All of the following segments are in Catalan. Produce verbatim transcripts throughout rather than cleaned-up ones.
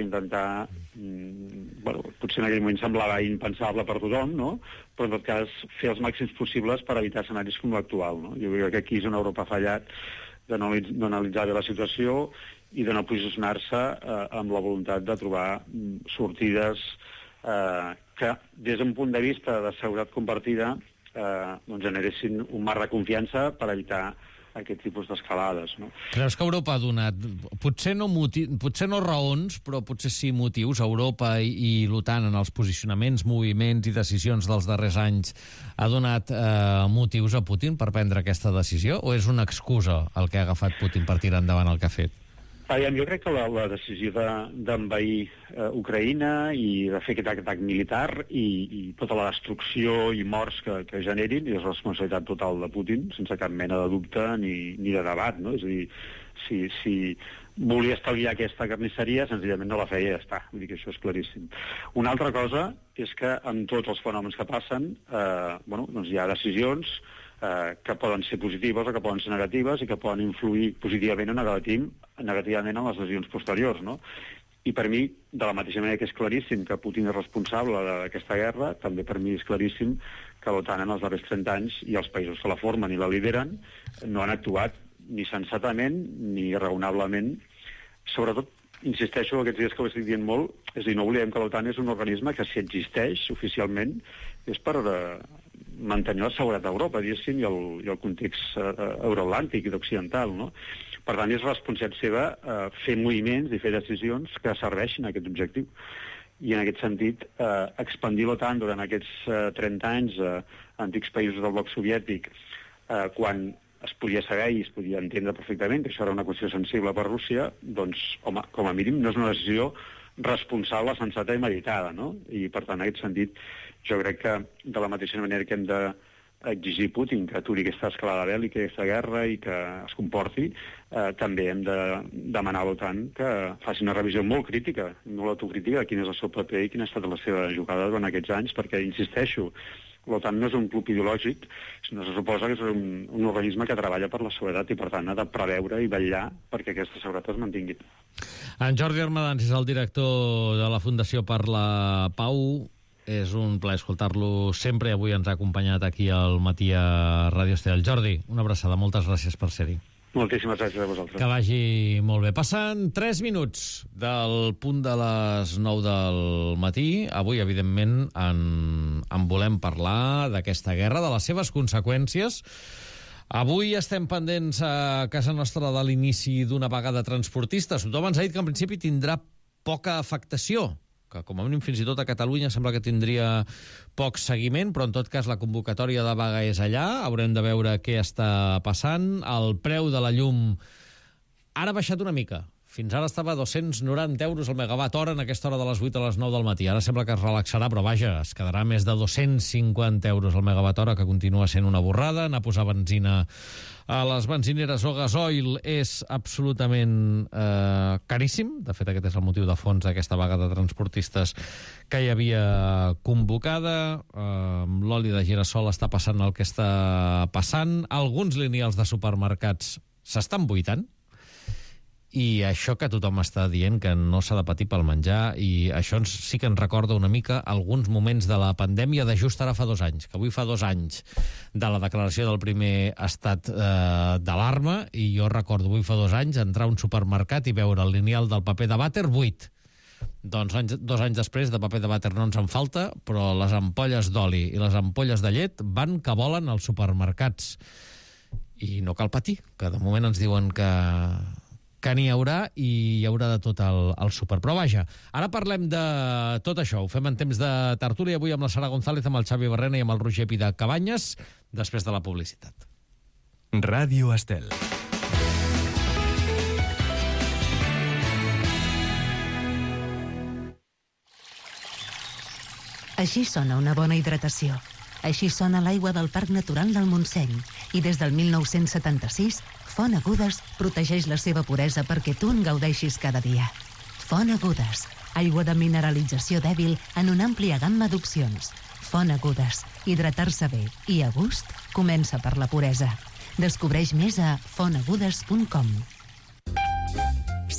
intentar... Mm, bueno, potser en aquell moment semblava impensable per tothom, no? Però en tot cas fer els màxims possibles per evitar escenaris com l'actual, no? Jo crec que aquí és on Europa ha fallat, de no, no analitzar bé la situació i de no posicionar-se eh, amb la voluntat de trobar mm, sortides eh, que, des d'un punt de vista de seguretat compartida, eh, doncs generessin un marc de confiança per evitar aquest tipus d'escalades, no? Creus que Europa ha donat, potser no, motiv, potser no raons, però potser sí motius, Europa i, i l'OTAN en els posicionaments, moviments i decisions dels darrers anys, ha donat eh, motius a Putin per prendre aquesta decisió, o és una excusa el que ha agafat Putin per tirar endavant el que ha fet? Aviam, jo crec que la, la decisió d'envair de, eh, Ucraïna i de fer aquest atac militar i, i tota la destrucció i morts que, que generin és responsabilitat total de Putin, sense cap mena de dubte ni, ni de debat, no? És a dir, si, si volia estalviar aquesta carnisseria, senzillament no la feia i ja està. Vull dir que això és claríssim. Una altra cosa és que amb tots els fenòmens que passen, eh, bueno, doncs hi ha decisions Eh, que poden ser positives o que poden ser negatives i que poden influir positivament o negativ, negativament en les decisions posteriors, no? I per mi, de la mateixa manera que és claríssim que Putin és responsable d'aquesta guerra, també per mi és claríssim que l'OTAN en els darrers trenta anys i els països que la formen i la lideren no han actuat ni sensatament ni raonablement. Sobretot, insisteixo, aquests dies que ho estic dient molt, és a dir, no oblidem que l'OTAN és un organisme que, si existeix oficialment, és per eh, mantenir la seguretat d'Europa, diguéssim, i el, i el context eh, euroatlàntic i occidental, no? Per tant, és responsabilitat seva eh, fer moviments i fer decisions que serveixin a aquest objectiu. I en aquest sentit, eh, expandir l'OTAN durant aquests eh, trenta anys a eh, antics països del bloc soviètic, eh, quan es podia saber i es podia entendre perfectament que això era una qüestió sensible per Rússia, doncs, home, com a mínim no és una decisió responsable, sensata i meditada, no? I, per tant, en aquest sentit, jo crec que de la mateixa manera que hem d'exigir a Putin que aturi aquesta escalada bèl·lica, aquesta guerra i que es comporti, eh, també hem de demanar a l'OTAN que faci una revisió molt crítica, molt autocrítica de quin és el seu paper i quina ha estat la seva jugada durant aquests anys, perquè, insisteixo, l'OTAN no és un club ideològic, sinó se suposa que és un, un organisme que treballa per la seguretat i, per tant, ha de preveure i vetllar perquè aquesta seguretat es mantingui. En Jordi Armadans és el director de la Fundació per la Pau. És un plaer escoltar-lo sempre. Avui ens ha acompanyat aquí al matí a Ràdio Estel. Jordi, una abraçada. Moltes gràcies per ser-hi. Moltíssimes gràcies a vosaltres. Que vagi molt bé. Passen tres minuts del punt de les nou del matí. Avui, evidentment, en, en volem parlar d'aquesta guerra, de les seves conseqüències. Avui estem pendents a casa nostra de l'inici d'una vaga de transportistes. Tothom ens ha dit que en principi tindrà poca afectació, que com a mínim fins i tot a Catalunya sembla que tindria poc seguiment, però en tot cas la convocatòria de vaga és allà, haurem de veure què està passant. El preu de la llum ara ha baixat una mica, fins ara estava a dos-cents noranta euros el megawatt hora en aquesta hora de les vuit a les nou del matí, ara sembla que es relaxarà, però vaja, es quedarà més de dos-cents cinquanta euros el megawatt hora, que continua sent una borrada. Anar a posar benzina a les benzineres o gasoil és absolutament eh, caríssim. De fet, aquest és el motiu de fons d'aquesta vaga de transportistes que hi havia convocada. Eh, l'oli de girassol està passant el que està passant. Alguns lineals de supermercats s'estan buitant, i això que tothom està dient que no s'ha de patir pel menjar, i això ens, sí que ens recorda una mica alguns moments de la pandèmia de just ara fa dos anys, que avui fa dos anys de la declaració del primer estat eh, d'alarma, i jo recordo avui fa dos anys entrar a un supermercat i veure el lineal del paper de vàter buit. Doncs anys, dos anys després de paper de vàter no ens en falta, però les ampolles d'oli i les ampolles de llet van que volen als supermercats. I no cal patir, que de moment ens diuen que que n'hi haurà i hi haurà de tot el, el súper. Però vaja, ara parlem de tot això. Ho fem en temps de tertúlia, avui amb la Sara González, amb el Xavi Barrena i amb el Roger Pida Cabanyes, després de la publicitat. Ràdio Estel. Així sona una bona hidratació. Així sona l'aigua del Parc Natural del Montseny. I des del mil nou-cents setanta-sis, Font Agudes protegeix la seva puresa perquè tu en gaudeixis cada dia. Font Agudes, aigua de mineralització dèbil en una àmplia gamma d'opcions. Font Agudes, hidratar-se bé i a gust comença per la puresa. Descobreix més a font agudes punt com.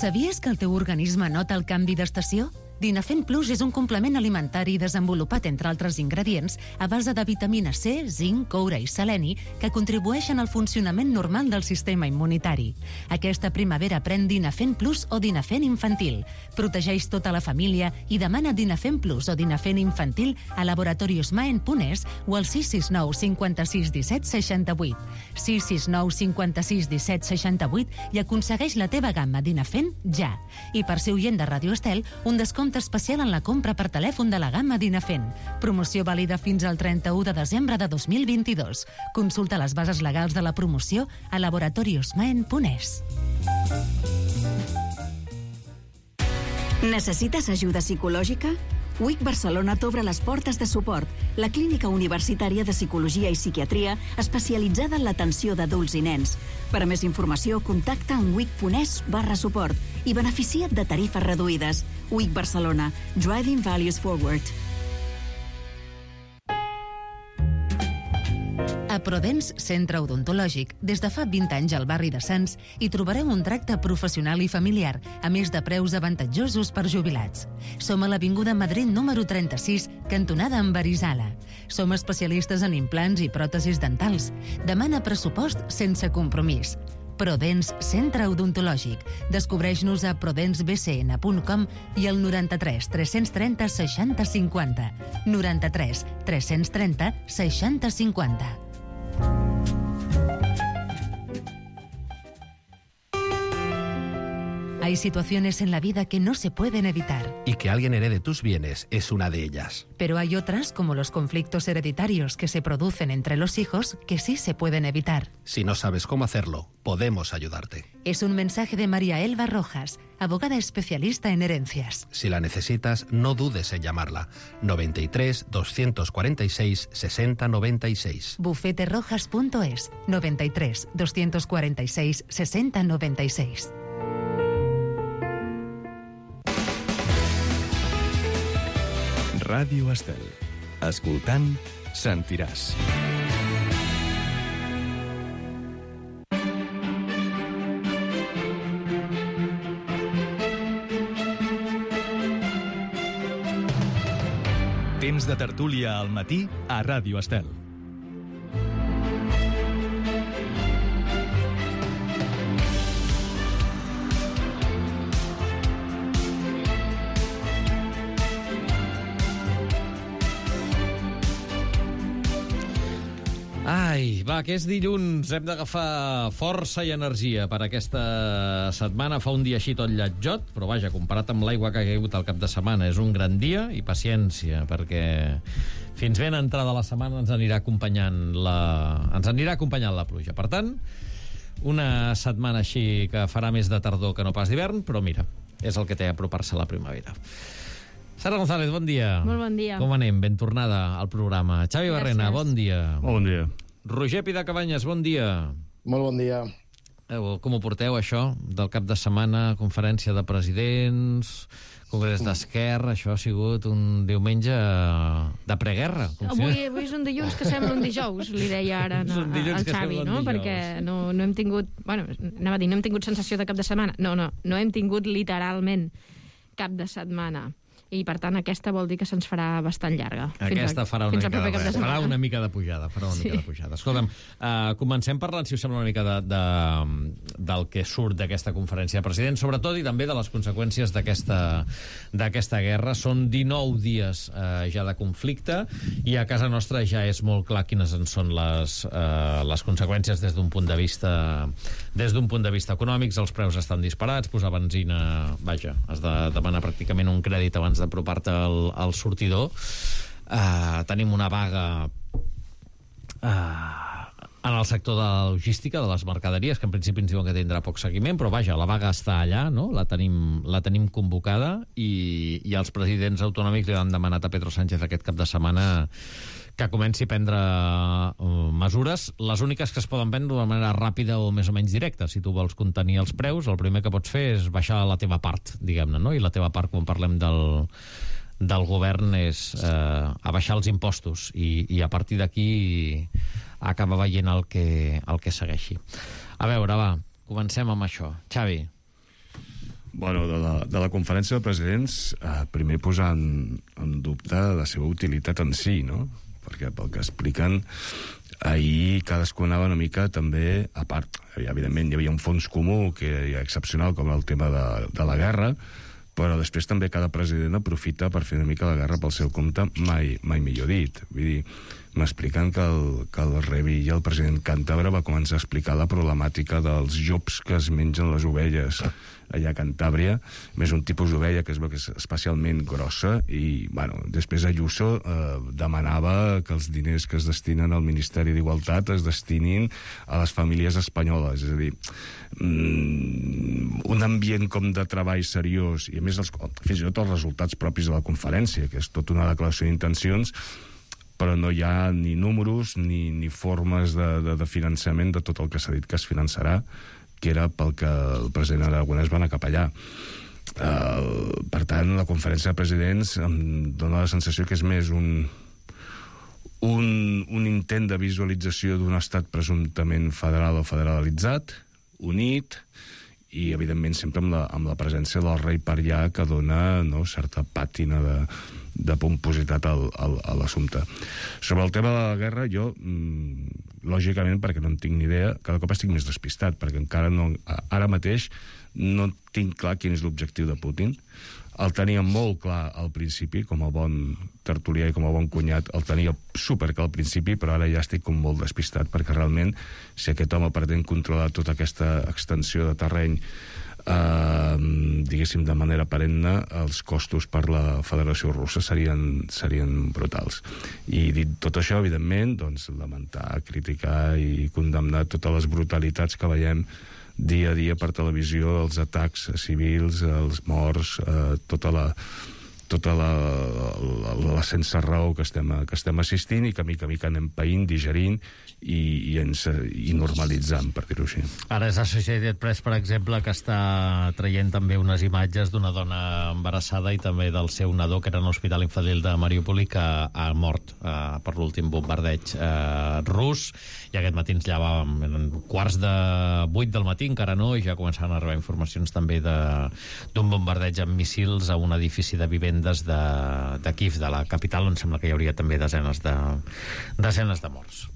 Sabies que el teu organisme nota el canvi d'estació? Dinafen Plus és un complement alimentari desenvolupat, entre altres ingredients, a base de vitamina C, zinc, coure i seleni, que contribueixen al funcionament normal del sistema immunitari. Aquesta primavera pren Dinafen Plus o Dinafen Infantil. Protegeix tota la família i demana Dinafen Plus o Dinafen Infantil a Laboratorios Maen punt es o al sis sis nou cinquanta-sis disset seixanta-vuit. sis sis nou cinquanta-sis disset seixanta-vuit i aconsegueix la teva gamma Dinafen ja. I per ser oient de Radio Estel, un descompte especial en la compra per telèfon de la gamma Dinafen. Promoció vàlida fins al trenta-u de desembre de dos mil vint-i-dos. Consulta les bases legals de la promoció a laboratorios maen punt es. Necessites ajuda psicològica? U I C Barcelona t'obre les portes de suport, la clínica universitària de psicologia i psiquiatria especialitzada en l'atenció d'adults i nens. Per a més informació, contacta en wic.es barra suport i beneficia't de tarifes reduïdes. U I C Barcelona. Driving Values Forward. A Prodens Centre Odontològic, des de fa vint anys al barri de Sants, hi trobareu un tracte professional i familiar, a més de preus avantatjosos per jubilats. Som a l'Avinguda Madrid número trenta-sis, cantonada amb Arizala. Som especialistes en implants i pròtesis dentals. Demana pressupost sense compromís. Prodens Centre Odontològic. Descobreix-nos a prodens b c n punt com i al noranta-tres tres-cents trenta seixanta cinquanta. noranta-tres tres-cents trenta seixanta cinquanta. Hay situaciones en la vida que no se pueden evitar. Y que alguien herede tus bienes es una de ellas. Pero hay otras, como los conflictos hereditarios que se producen entre los hijos, que sí se pueden evitar. Si no sabes cómo hacerlo, podemos ayudarte. Es un mensaje de María Elba Rojas, abogada especialista en herencias. Si la necesitas, no dudes en llamarla. noventa y tres, doscientos cuarenta y seis, sesenta noventa y seis. bufete rojas punto es, noventa y tres, doscientos cuarenta y seis, sesenta noventa y seis. Ràdio Estel. Escoltant, sentiràs. Temps de tertúlia al matí a Ràdio Estel. Ai, va, que és dilluns, hem d'agafar força i energia per aquesta setmana. Fa un dia així tot lletjot, però vaja, comparat amb l'aigua que ha caigut al cap de setmana, és un gran dia, i paciència, perquè fins ben entrada la setmana ens anirà acompanyant la, ens anirà acompanyant la pluja. Per tant, una setmana així que farà més de tardor que no pas d'hivern, però mira, és el que té apropar-se a la primavera. Sara González, bon dia. Molt bon dia. Com anem? Ben tornada al programa. Xavi Gràcies. Barrena, bon dia. Molt bon dia. Roger Pidacabanyes, bon dia. Molt bon dia. Eh, com ho porteu, això, del cap de setmana, conferència de presidents, congrés d'Esquerra, això ha sigut un diumenge de preguerra. Avui, avui és un dilluns que sembla un dijous, li deia ara no, al Xavi, no? Perquè no, no hem tingut, bueno, anava a dir, no hem tingut sensació de cap de setmana. No, no, no hem tingut literalment cap de setmana. I, per tant, aquesta vol dir que se'ns farà bastant llarga. Aquesta a, farà, una mica de, de farà una mica de pujada. Farà una sí. mica de pujada. Escolta'm, uh, comencem parlant, si us sembla, una mica de, de, del que surt d'aquesta conferència de presidents, sobretot, i també de les conseqüències d'aquesta guerra. Són dinou dies uh, ja de conflicte, i a casa nostra ja és molt clar quines en són les, uh, les conseqüències des d'un punt de vista des d'un punt de vista econòmics. Els preus estan disparats, posar benzina, vaja, has de demanar pràcticament un crèdit abans d'apropar-te al, al sortidor. Uh, tenim una vaga uh, en el sector de la logística, de les mercaderies, que en principi ens diuen que tindrà poc seguiment, però vaja, la vaga està allà, no? La tenim, la tenim convocada, i, i els presidents autonòmics li han demanat a Pedro Sánchez aquest cap de setmana que comenci a prendre uh, mesures, les úniques que es poden prendre de manera ràpida o més o menys directa. Si tu vols contenir els preus, el primer que pots fer és baixar la teva part, diguem-ne, no? I la teva part, quan parlem del, del govern, és eh, abaixar els impostos, i, i a partir d'aquí acabar veient el que, el que segueixi. A veure, va, comencem amb això. Xavi. Bueno, de la, de la conferència de presidents, eh, primer posar en, en dubte la seva utilitat en si, no? Perquè pel que expliquen, ahir cadascú anava una mica també, a part, evidentment hi havia un fons comú que era excepcional, com el tema de, de la guerra, però després també cada president aprofita per fer una mica la guerra pel seu compte, mai, mai millor dit. Vull dir, m'expliquen que el, que el Revilla, el president càntabre, va començar a explicar la problemàtica dels llops que es mengen les ovelles allà a Cantàbria, més un tipus d'ovella que es veu que és especialment grossa, i, bueno, després Ayuso eh, demanava que els diners que es destinen al Ministeri d'Igualtat es destinin a les famílies espanyoles, és a dir, mm, un ambient com de treball seriós, i a més els, fins i tot els resultats propis de la conferència, que és tota una declaració d'intencions, però no hi ha ni números ni, ni formes de, de, de finançament de tot el que s'ha dit que es finançarà, que era pel que el president Aragonès va anar cap allà. Uh, per tant, la conferència de presidents em dona la sensació que és més un, un, un intent de visualització d'un estat presumptament federal o federalitzat, unit, i evidentment sempre amb la, amb la presència del rei per allà, que dona, no, certa pàtina de, de pompositat al, al, a l'assumpte. Sobre el tema de la guerra, jo, mmm, lògicament, perquè no en tinc ni idea, cada cop estic més despistat, perquè encara no, ara mateix no tinc clar quin és l'objectiu de Putin. El tenia molt clar al principi, com a bon tertulià i com a bon cunyat, el tenia superclar al principi, però ara ja estic com molt despistat, perquè realment, si aquest home pretén controlar tota aquesta extensió de terreny, eh, diguéssim, de manera perenne, els costos per la Federació Russa serien, serien brutals. I dit tot això, evidentment, doncs, lamentar, criticar i condemnar totes les brutalitats que veiem dia a dia per televisió, els atacs civils, els morts, eh, tota la tota la, la, la sense raó que estem, que estem assistint i que mica a mica anem païnt, digerint i, i, ens, i normalitzant, per dir-ho així. Ara és Associated Press, per exemple, que està traient també unes imatges d'una dona embarassada i també del seu nadó, que era en l'Hospital Infantil de Mariupol i que ha mort eh, per l'últim bombardeig eh, rus, i aquest matí ens llevàvem en quarts de vuit del matí, encara no, i ja començaven a arribar informacions també d'un bombardeig amb missils a un edifici de vivendes de, de Kiev, de la capital, on sembla que hi hauria també desenes de, desenes de morts.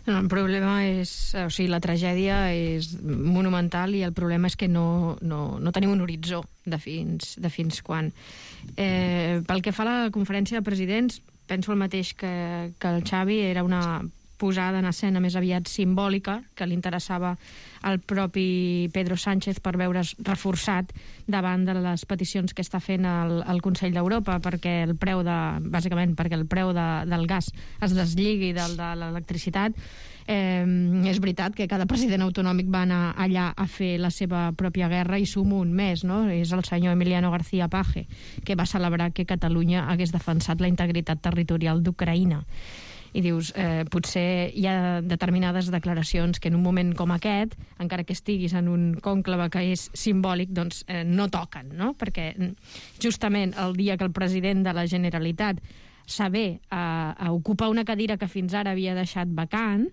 No, el problema és... O sigui, la tragèdia és monumental i el problema és que no, no, no tenim un horitzó de fins, de fins quan. Eh, pel que fa a la conferència de presidents, penso el mateix que, que el Xavi, era una posada en escena més aviat simbòlica, que li interessava al propi Pedro Sánchez per veure's reforçat davant de les peticions que està fent el, el Consell d'Europa, perquè el preu de, bàsicament perquè el preu de, del gas es deslligui del de l'electricitat. Eh, és veritat que cada president autonòmic va anar allà a fer la seva pròpia guerra, i sumo un més, no? És el senyor Emiliano García Paje, que va celebrar que Catalunya hagués defensat la integritat territorial d'Ucraïna. I dius, eh, potser hi ha determinades declaracions que en un moment com aquest, encara que estiguis en un cònclave que és simbòlic, doncs eh, no toquen, no? Perquè justament el dia que el president de la Generalitat saber a, a ocupar una cadira que fins ara havia deixat vacant,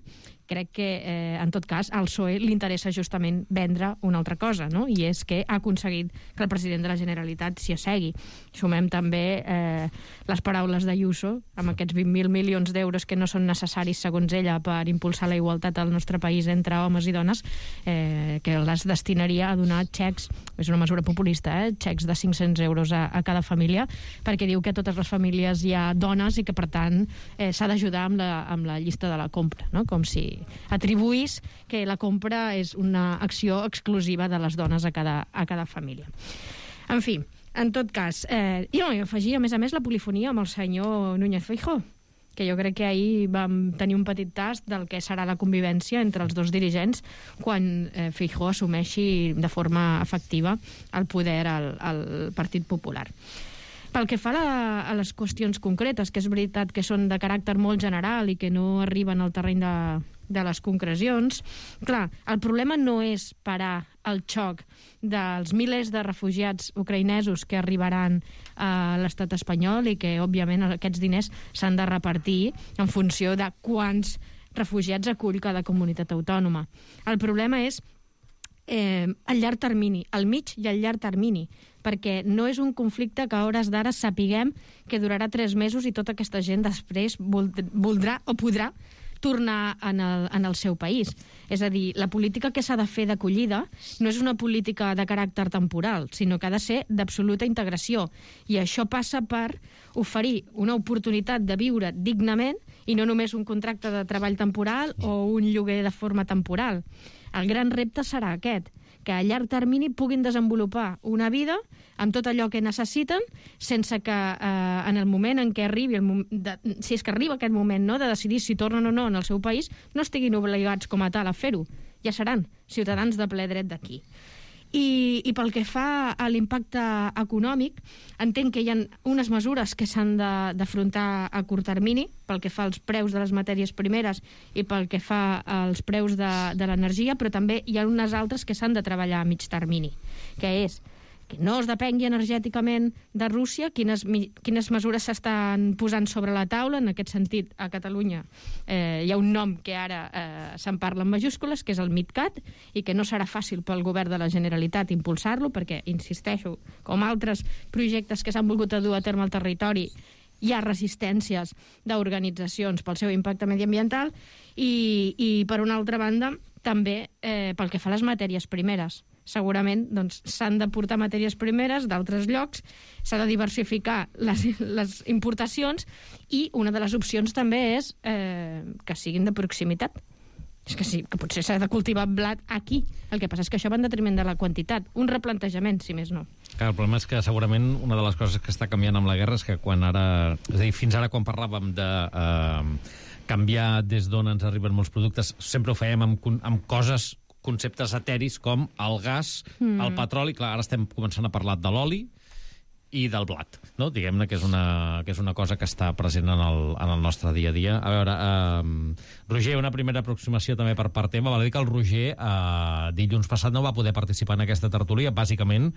crec que, eh, en tot cas, al P S O E li interessa justament vendre una altra cosa, no? I és que ha aconseguit que el president de la Generalitat s'hi assegui. Sumem també eh, les paraules d'Ayuso, amb aquests vint mil milions d'euros que no són necessaris, segons ella, per impulsar la igualtat al nostre país entre homes i dones, eh, que les destinaria a donar xecs, és una mesura populista, eh, xecs de cinc-cents euros a, a cada família, perquè diu que a totes les famílies hi ha dones i que, per tant, eh, s'ha d'ajudar amb, la, amb la llista de la compra, no? Com si atribuís que la compra és una acció exclusiva de les dones a cada, a cada família. En fi, en tot cas, eh, i no, i afegir, a més a més, la polifonia amb el senyor Núñez Feijóo, que jo crec que ahir vam tenir un petit tast del que serà la convivència entre els dos dirigents quan eh, Feijóo assumeixi de forma efectiva el poder al, al Partit Popular. Pel que fa a, la, a les qüestions concretes, que és veritat que són de caràcter molt general i que no arriben al terreny de, de les concrecions, clar, el problema no és parar el xoc dels milers de refugiats ucraïnesos que arribaran a l'estat espanyol i que, òbviament, aquests diners s'han de repartir en funció de quants refugiats acull cada comunitat autònoma. El problema és eh, a llarg termini, al mig i al llarg termini, perquè no és un conflicte que a hores d'ara sapiguem que durarà tres mesos i tota aquesta gent després voldrà o podrà tornar en el, en el seu país. És a dir, la política que s'ha de fer d'acollida no és una política de caràcter temporal, sinó que ha de ser d'absoluta integració. I això passa per oferir una oportunitat de viure dignament i no només un contracte de treball temporal o un lloguer de forma temporal. El gran repte serà aquest, que a llarg termini puguin desenvolupar una vida amb tot allò que necessiten, sense que eh, en el moment en què arribi, el moment de, si és que arriba aquest moment, no, de decidir si tornen o no en el seu país, no estiguin obligats com a tal a fer-ho. Ja seran ciutadans de ple dret d'aquí. I, I pel que fa a l'impacte econòmic, entenc que hi ha unes mesures que s'han d'afrontar a curt termini, pel que fa als preus de les matèries primeres i pel que fa als preus de, de l'energia, però també hi ha unes altres que s'han de treballar a mig termini, que és que no es depengui energèticament de Rússia, quines, quines mesures s'estan posant sobre la taula. En aquest sentit, a Catalunya eh, hi ha un nom que ara eh, se'n parla en majúscules, que és el MidCat, i que no serà fàcil pel govern de la Generalitat impulsar-lo, perquè, insisteixo, com altres projectes que s'han volgut dur a terme al territori, hi ha resistències d'organitzacions pel seu impacte mediambiental i, i per una altra banda, també eh, pel que fa a les matèries primeres. Segurament doncs, s'han de portar matèries primeres d'altres llocs, s'ha de diversificar les, les importacions i una de les opcions també és eh, que siguin de proximitat. És que sí, que potser s'ha de cultivar blat aquí. El que passa és que això va en detriment de la quantitat. Un replantejament, si més no. Clar, el problema és que segurament una de les coses que està canviant amb la guerra és que quan ara... És a dir, fins ara quan parlàvem de... Eh, canviar des d'on ens arriben molts productes, sempre ho fèiem amb, amb coses, conceptes eteris com el gas, mm. el petroli. Clar, ara estem començant a parlar de l'oli i del blat, no? Diguem-ne que és una, que és una cosa que està present en el, en el nostre dia a dia. A veure, eh, Roger, una primera aproximació també per part teva. Val a dir que el Roger eh, dilluns passat no va poder participar en aquesta tertúlia, bàsicament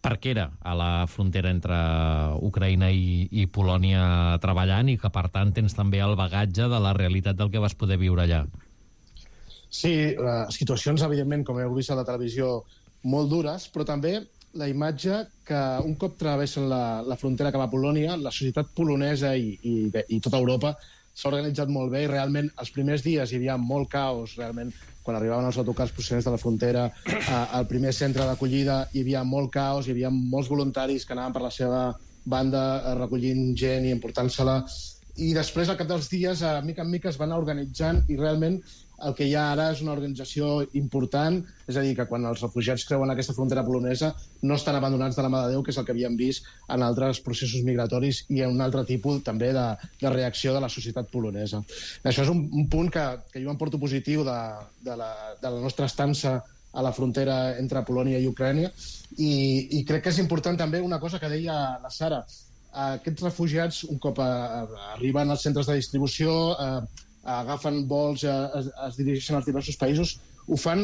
perquè era a la frontera entre Ucraïna i, i Polònia treballant i que, per tant, tens també el bagatge de la realitat del que vas poder viure allà. Sí, uh, situacions, evidentment, com heu vist a la televisió, molt dures, però també la imatge que un cop travessen la, la frontera cap a Polònia, la societat polonesa i, i, i tota Europa s'ha organitzat molt bé i realment els primers dies hi havia molt caos, realment, quan arribaven els autocars procedents de la frontera a, al primer centre d'acollida hi havia molt caos, hi havia molts voluntaris que anaven per la seva banda recollint gent i emportant-se-la, i després, al cap dels dies, a mica en mica es van anar organitzant i realment el que hi ha ara és una organització important, és a dir, que quan els refugiats creuen aquesta frontera polonesa no estan abandonats de la mà de Déu, que és el que havíem vist en altres processos migratoris i en un altre tipus també de, de reacció de la societat polonesa. Això és un, un punt que, que jo em porto positiu de, de, la, de la nostra estança a la frontera entre Polònia i Ucrània i, i crec que és important també una cosa que deia la Sara. Aquests refugiats, un cop a, a, arriben als centres de distribució, a, agafen vols, es, es dirigeixen als diversos països, ho fan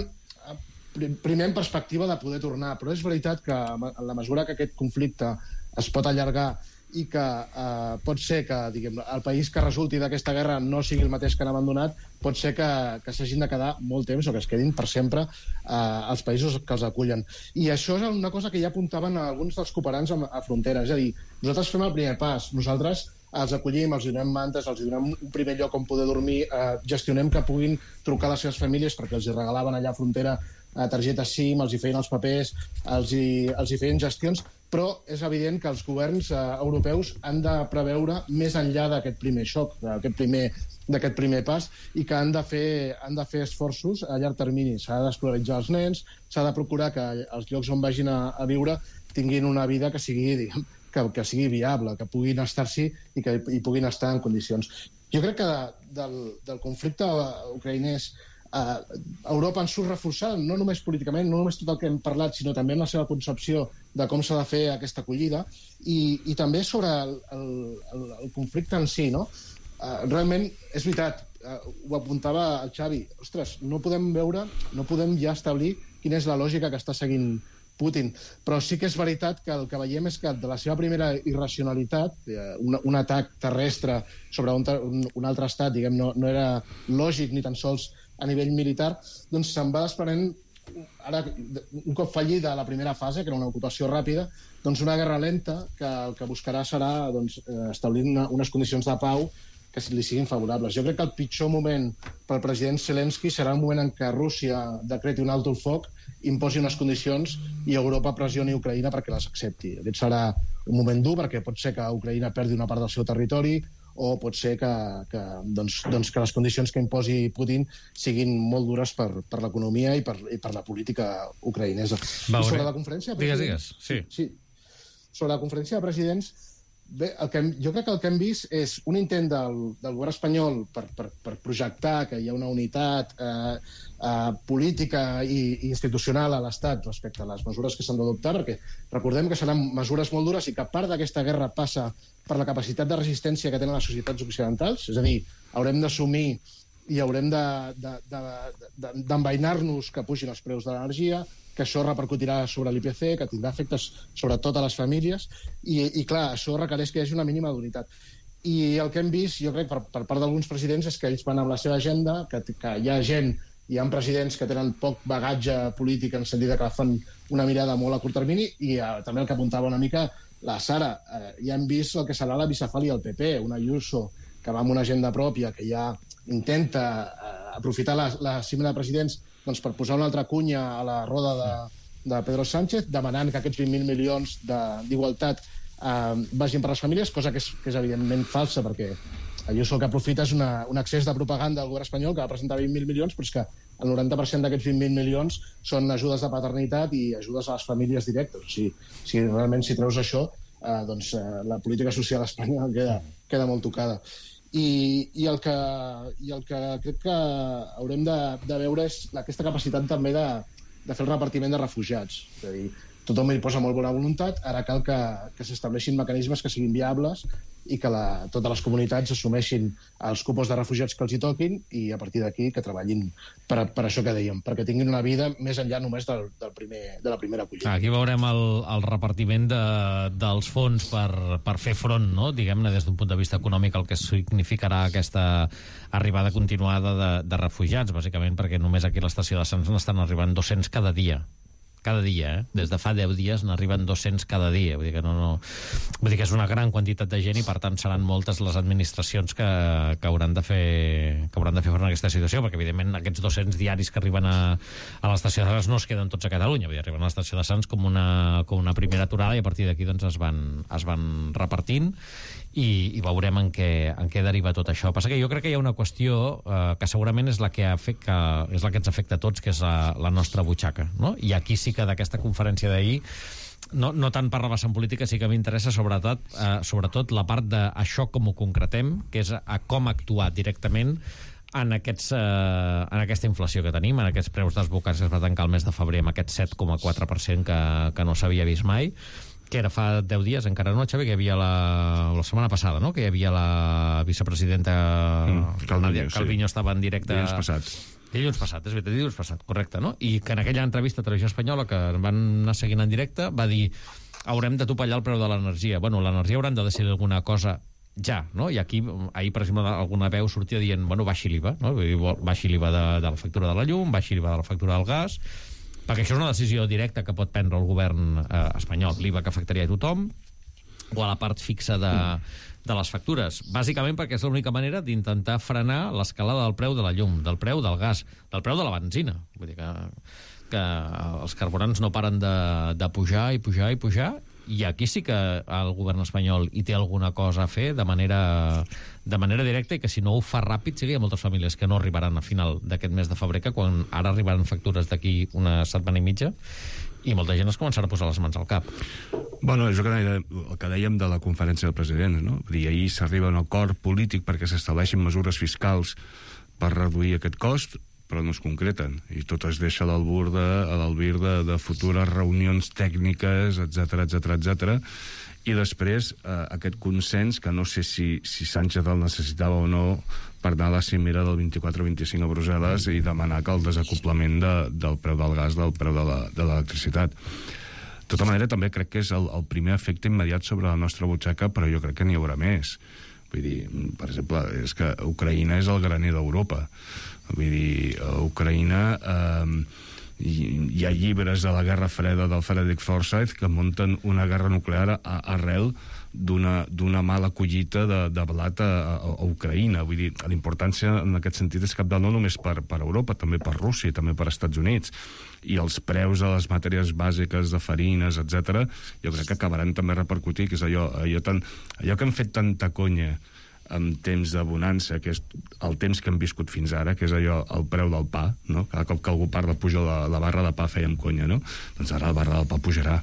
primer en perspectiva de poder tornar, però és veritat que en la mesura que aquest conflicte es pot allargar i que eh, pot ser que diguem, el país que resulti d'aquesta guerra no sigui el mateix que han abandonat, pot ser que, que s'hagin de quedar molt temps o que es quedin per sempre eh, als països que els acullen. I això és una cosa que ja apuntaven alguns dels cooperants a, a frontera, és a dir, nosaltres fem el primer pas, nosaltres els acollim, els donem mantes, els donem un primer lloc on poder dormir, eh, gestionem que puguin trucar a les seves famílies perquè els hi regalaven allà a frontera eh, targetes SIM, els hi feien els papers, els hi, els hi feien gestions, però és evident que els governs eh, europeus han de preveure més enllà d'aquest primer xoc, d'aquest primer, d'aquest primer pas, i que han de fer, han de fer esforços a llarg termini. S'ha d'escolaritzar els nens, s'ha de procurar que els llocs on vagin a, a viure tinguin una vida que sigui, diguem, que, que sigui viable, que puguin estar-s'hi i que hi puguin estar en condicions. Jo crec que de, del, del conflicte ucraïnès Uh, Europa en surt reforçada, no només políticament, no només tot el que hem parlat, sinó també en la seva concepció de com s'ha de fer aquesta acollida i, i també sobre el, el, el conflicte en si, no? Uh, realment, és veritat, uh, ho apuntava el Xavi, ostres, no podem veure, no podem ja establir quina és la lògica que està seguint Putin, però sí que és veritat que el que veiem és que de la seva primera irracionalitat, un, un atac terrestre sobre un, un, un altre estat, diguem, no, no era lògic ni tan sols a nivell militar, doncs se'n va desprenent ara, un cop fallida la primera fase, que era una ocupació ràpida, doncs una guerra lenta que el que buscarà serà doncs, establir una, unes condicions de pau que li siguin favorables. Jo crec que el pitjor moment pel president Zelensky serà el moment en què Rússia decreti un alto el foc, imposi unes condicions i Europa pressioni Ucraïna perquè les accepti. Aquest serà un moment dur perquè pot ser que Ucraïna perdi una part del seu territori o pot ser que, que, doncs, doncs que les condicions que imposi Putin siguin molt dures per, per l'economia i, per, i per la política ucraïnesa. Va, I sobre la conferència de presidents... Digues, digues. Sí. sí. Sobre la conferència de presidents, bé, el que, jo crec que el que hem vist és un intent del, del govern espanyol per, per, per projectar que hi ha una unitat eh, eh, política i, i institucional a l'Estat respecte a les mesures que s'han d'adoptar, perquè recordem que seran mesures molt dures i que part d'aquesta guerra passa per la capacitat de resistència que tenen les societats occidentals, és a dir, haurem d'assumir i haurem d'envainar-nos que pugin els preus de l'energia, que això repercutirà sobre l'I P C, que tindrà efectes sobre totes les famílies, i, i clar, això requereix que hi hagi una mínima d'unitat. I el que hem vist, jo crec, per, per part d'alguns presidents, és que ells van amb la seva agenda, que, que hi ha gent, hi ha presidents que tenen poc bagatge polític en el sentit que fan una mirada molt a curt termini, i eh, també el que apuntava una mica la Sara, eh, ja hem vist el que serà la bicefàlia del P P, una Ayuso que va amb una agenda pròpia, que ja intenta eh, aprofitar la, la cimera de presidents doncs, per posar una altra cunya a la roda de, de Pedro Sánchez, demanant que aquests vint mil milions d'igualtat eh, vagin per les famílies, cosa que és, que és evidentment falsa, perquè Ayuso el que aprofita és una, un excés de propaganda del govern espanyol que va presentar vint mil milions, però és que el noranta per cent d'aquests vint mil milions són ajudes de paternitat i ajudes a les famílies directes. O sigui, si realment si treus això, eh, doncs eh, la política social a Espanya queda, queda molt tocada. I, i, el que, i el que crec que haurem de, de veure és aquesta capacitat també de, de fer el repartiment de refugiats. És a dir, tothom hi posa molt bona voluntat, ara cal que, que s'estableixin mecanismes que siguin viables i que la, totes les comunitats assumeixin els cupos de refugiats que els hi toquin i a partir d'aquí que treballin per, per això que dèiem, perquè tinguin una vida més enllà només del, del primer, de la primera acollida. Aquí veurem el, el repartiment de, dels fons per, per fer front, no? Diguem-ne, des d'un punt de vista econòmic, el que significarà aquesta arribada continuada de, de refugiats, bàsicament perquè només aquí a l'estació de Sants n'estan arribant dos-cents cada dia. Cada dia, eh? Des de fa deu dies n'arriben dos-cents cada dia. Vull dir que no, no... Vull dir que és una gran quantitat de gent i, per tant, seran moltes les administracions que, que, hauran, de fer, que hauran de fer front a aquesta situació, perquè, evidentment, aquests dos-cents diaris que arriben a, a l'estació de Sants no es queden tots a Catalunya. Vull dir, arriben a l'estació de Sants com una, com una primera aturada i a partir d'aquí doncs, es, van, es van repartint i, i veurem en què, en què deriva tot això. Passa que jo crec que hi ha una qüestió eh, que segurament és la que, afecta, és la que ens afecta a tots, que és la, la nostra butxaca, no? I aquí sí que d'aquesta conferència d'ahir, no, no tant per rebassar en política, sí que m'interessa sobretot, eh, sobretot la part d'això com ho concretem, que és a, a com actuar directament en, aquests, eh, en aquesta inflació que tenim, en aquests preus desbocats que es va tancar el mes de febrer amb aquest set coma quatre per cent que, que no s'havia vist mai, que era fa deu dies, encara no, Xavi, que hi havia la, la setmana passada, no?, que hi havia la vicepresidenta mm, Calviño, Calviño sí. Estava en directe... Dilluns passat. Dilluns passat, és veritat, dilluns passat, correcte, no? I que en aquella entrevista a Televisió Espanyola, que van anar seguint en directe, va dir haurem de topallar el preu de l'energia. Bueno, l'energia hauran de decidir alguna cosa ja, no? I aquí, ahir, per exemple, alguna veu sortia dient, bueno, baixi l'I V A, no? Baixi l'I V A de, de la factura de la llum, baixi l'I V A de la factura del gas, perquè això és una decisió directa que pot prendre el govern eh, espanyol, l'I V A que afectaria a tothom, o a la part fixa de, de les factures. Bàsicament perquè és l'única manera d'intentar frenar l'escalada del preu de la llum, del preu del gas, del preu de la benzina. Vull dir que, que els carburants no paren de, de pujar i pujar i pujar, i aquí sí que el govern espanyol hi té alguna cosa a fer de manera, de manera directa, i que si no ho fa ràpid, sí que hi ha moltes famílies que no arribaran a final d'aquest mes de febrer, que quan ara arribaran factures d'aquí una setmana i mitja, i molta gent es començarà a posar les mans al cap. Bueno, és el que, el que dèiem de la conferència del president, no? Vull dir, ahir s'arriba a un acord polític perquè s'estableixin mesures fiscals per reduir aquest cost, però no es concreten, i tot es deixa a l'albir de, a l'albir de, de futures reunions tècniques, etcètera, etcètera, etcètera, i després eh, aquest consens, que no sé si, si Sánchez el necessitava o no, per anar a la cimera del vint-i-quatre vint-i-cinc a Brussel·les i demanar que el desacoplament de, del preu del gas, del preu de l'electricitat. De tota manera, també crec que és el, el primer efecte immediat sobre la nostra butxaca, però jo crec que n'hi haurà més. Vull dir, per exemple, és que Ucraïna és el graner d'Europa. Vull dir, Ucraïna eh, hi ha llibres de la Guerra Freda del Frederick Forsyth que munten una guerra nuclear a, arrel d'una mala collita de, de blat a, a, a Ucraïna. Vull dir, l'importància en aquest sentit és cabdal no només per, per Europa, també per Rússia, també per Estats Units. I els preus de les matèries bàsiques de farines, etcètera, jo crec que acabaran també a repercutir, que és allò, allò, tan, allò que han fet tanta conya en temps de bonança, que és el temps que hem viscut fins ara, que és allò, el preu del pa, no? Cada cop que algú parla puja la, la barra de pa, fèiem conya, no? Doncs ara la barra del pa pujarà.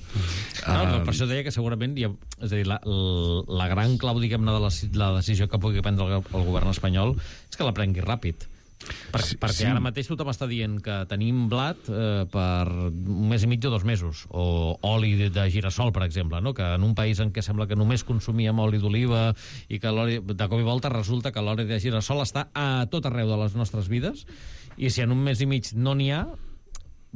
No, no, per això deia que segurament hi ha, és a dir, la, la gran clau, diguem-ne, de la, la decisió que pugui prendre el, el govern espanyol és que la prengui ràpid. Per, sí, perquè sí. Ara mateix tothom està dient que tenim blat eh, per un mes i mig o dos mesos, o oli de, de girassol, per exemple, no? Que en un país en què sembla que només consumíem oli d'oliva i que l'oli, de cop i volta resulta que l'oli de girassol està a tot arreu de les nostres vides, i si en un mes i mig no n'hi ha,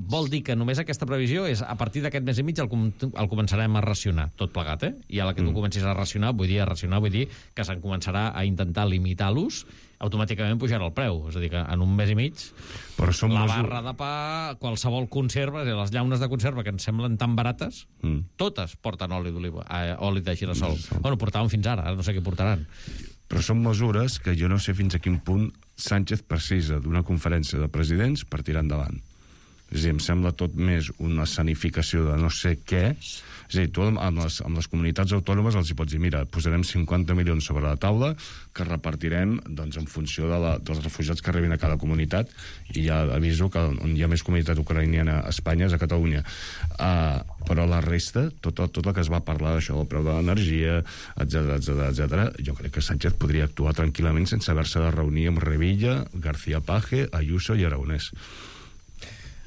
vol dir que només aquesta previsió és a partir d'aquest mes i mig el, com, el començarem a racionar, tot plegat, eh? I a la que tu comencis a racionar, vull dir a racionar, vull dir que se'n començarà a intentar limitar l'ús, automàticament pujarà el preu. És a dir, que en un mes i mig però som la mesur... barra de pa, qualsevol conserva, les llaunes de conserva que ens semblen tan barates, mm. totes porten oli d'oliva, eh, oli de girassol. Mm. Bueno, portaven fins ara, ara no sé què portaran. Però són mesures que jo no sé fins a quin punt Sánchez precisa d'una conferència de presidents per tirar endavant. És a dir, em sembla tot més una escenificació de no sé què. És a dir, tu amb les, amb les comunitats autònomes els hi pots dir, mira, posarem cinquanta milions sobre la taula que repartirem doncs, en funció de la, dels refugiats que arribin a cada comunitat, i ja aviso que on hi ha més comunitat ucraïniana a Espanya és a Catalunya. Uh, però la resta, tot, tot el que es va parlar d'això, del preu de l'energia, etcètera, etcètera, etcètera, jo crec que Sánchez podria actuar tranquil·lament sense haver-se de reunir amb Revilla, García Page, Ayuso i Aragonès.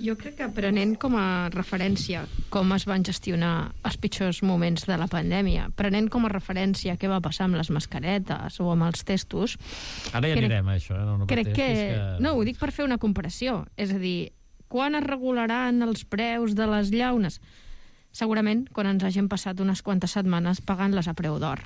Jo crec que prenent com a referència com es van gestionar els pitjors moments de la pandèmia, prenent com a referència què va passar amb les mascaretes o amb els testos... Ara ja crec, anirem a això, eh? No, no crec que... que... No, ho dic per fer una comparació. És a dir, quan es regularan els preus de les llaunes? Segurament quan ens hagin passat unes quantes setmanes pagant-les a preu d'or.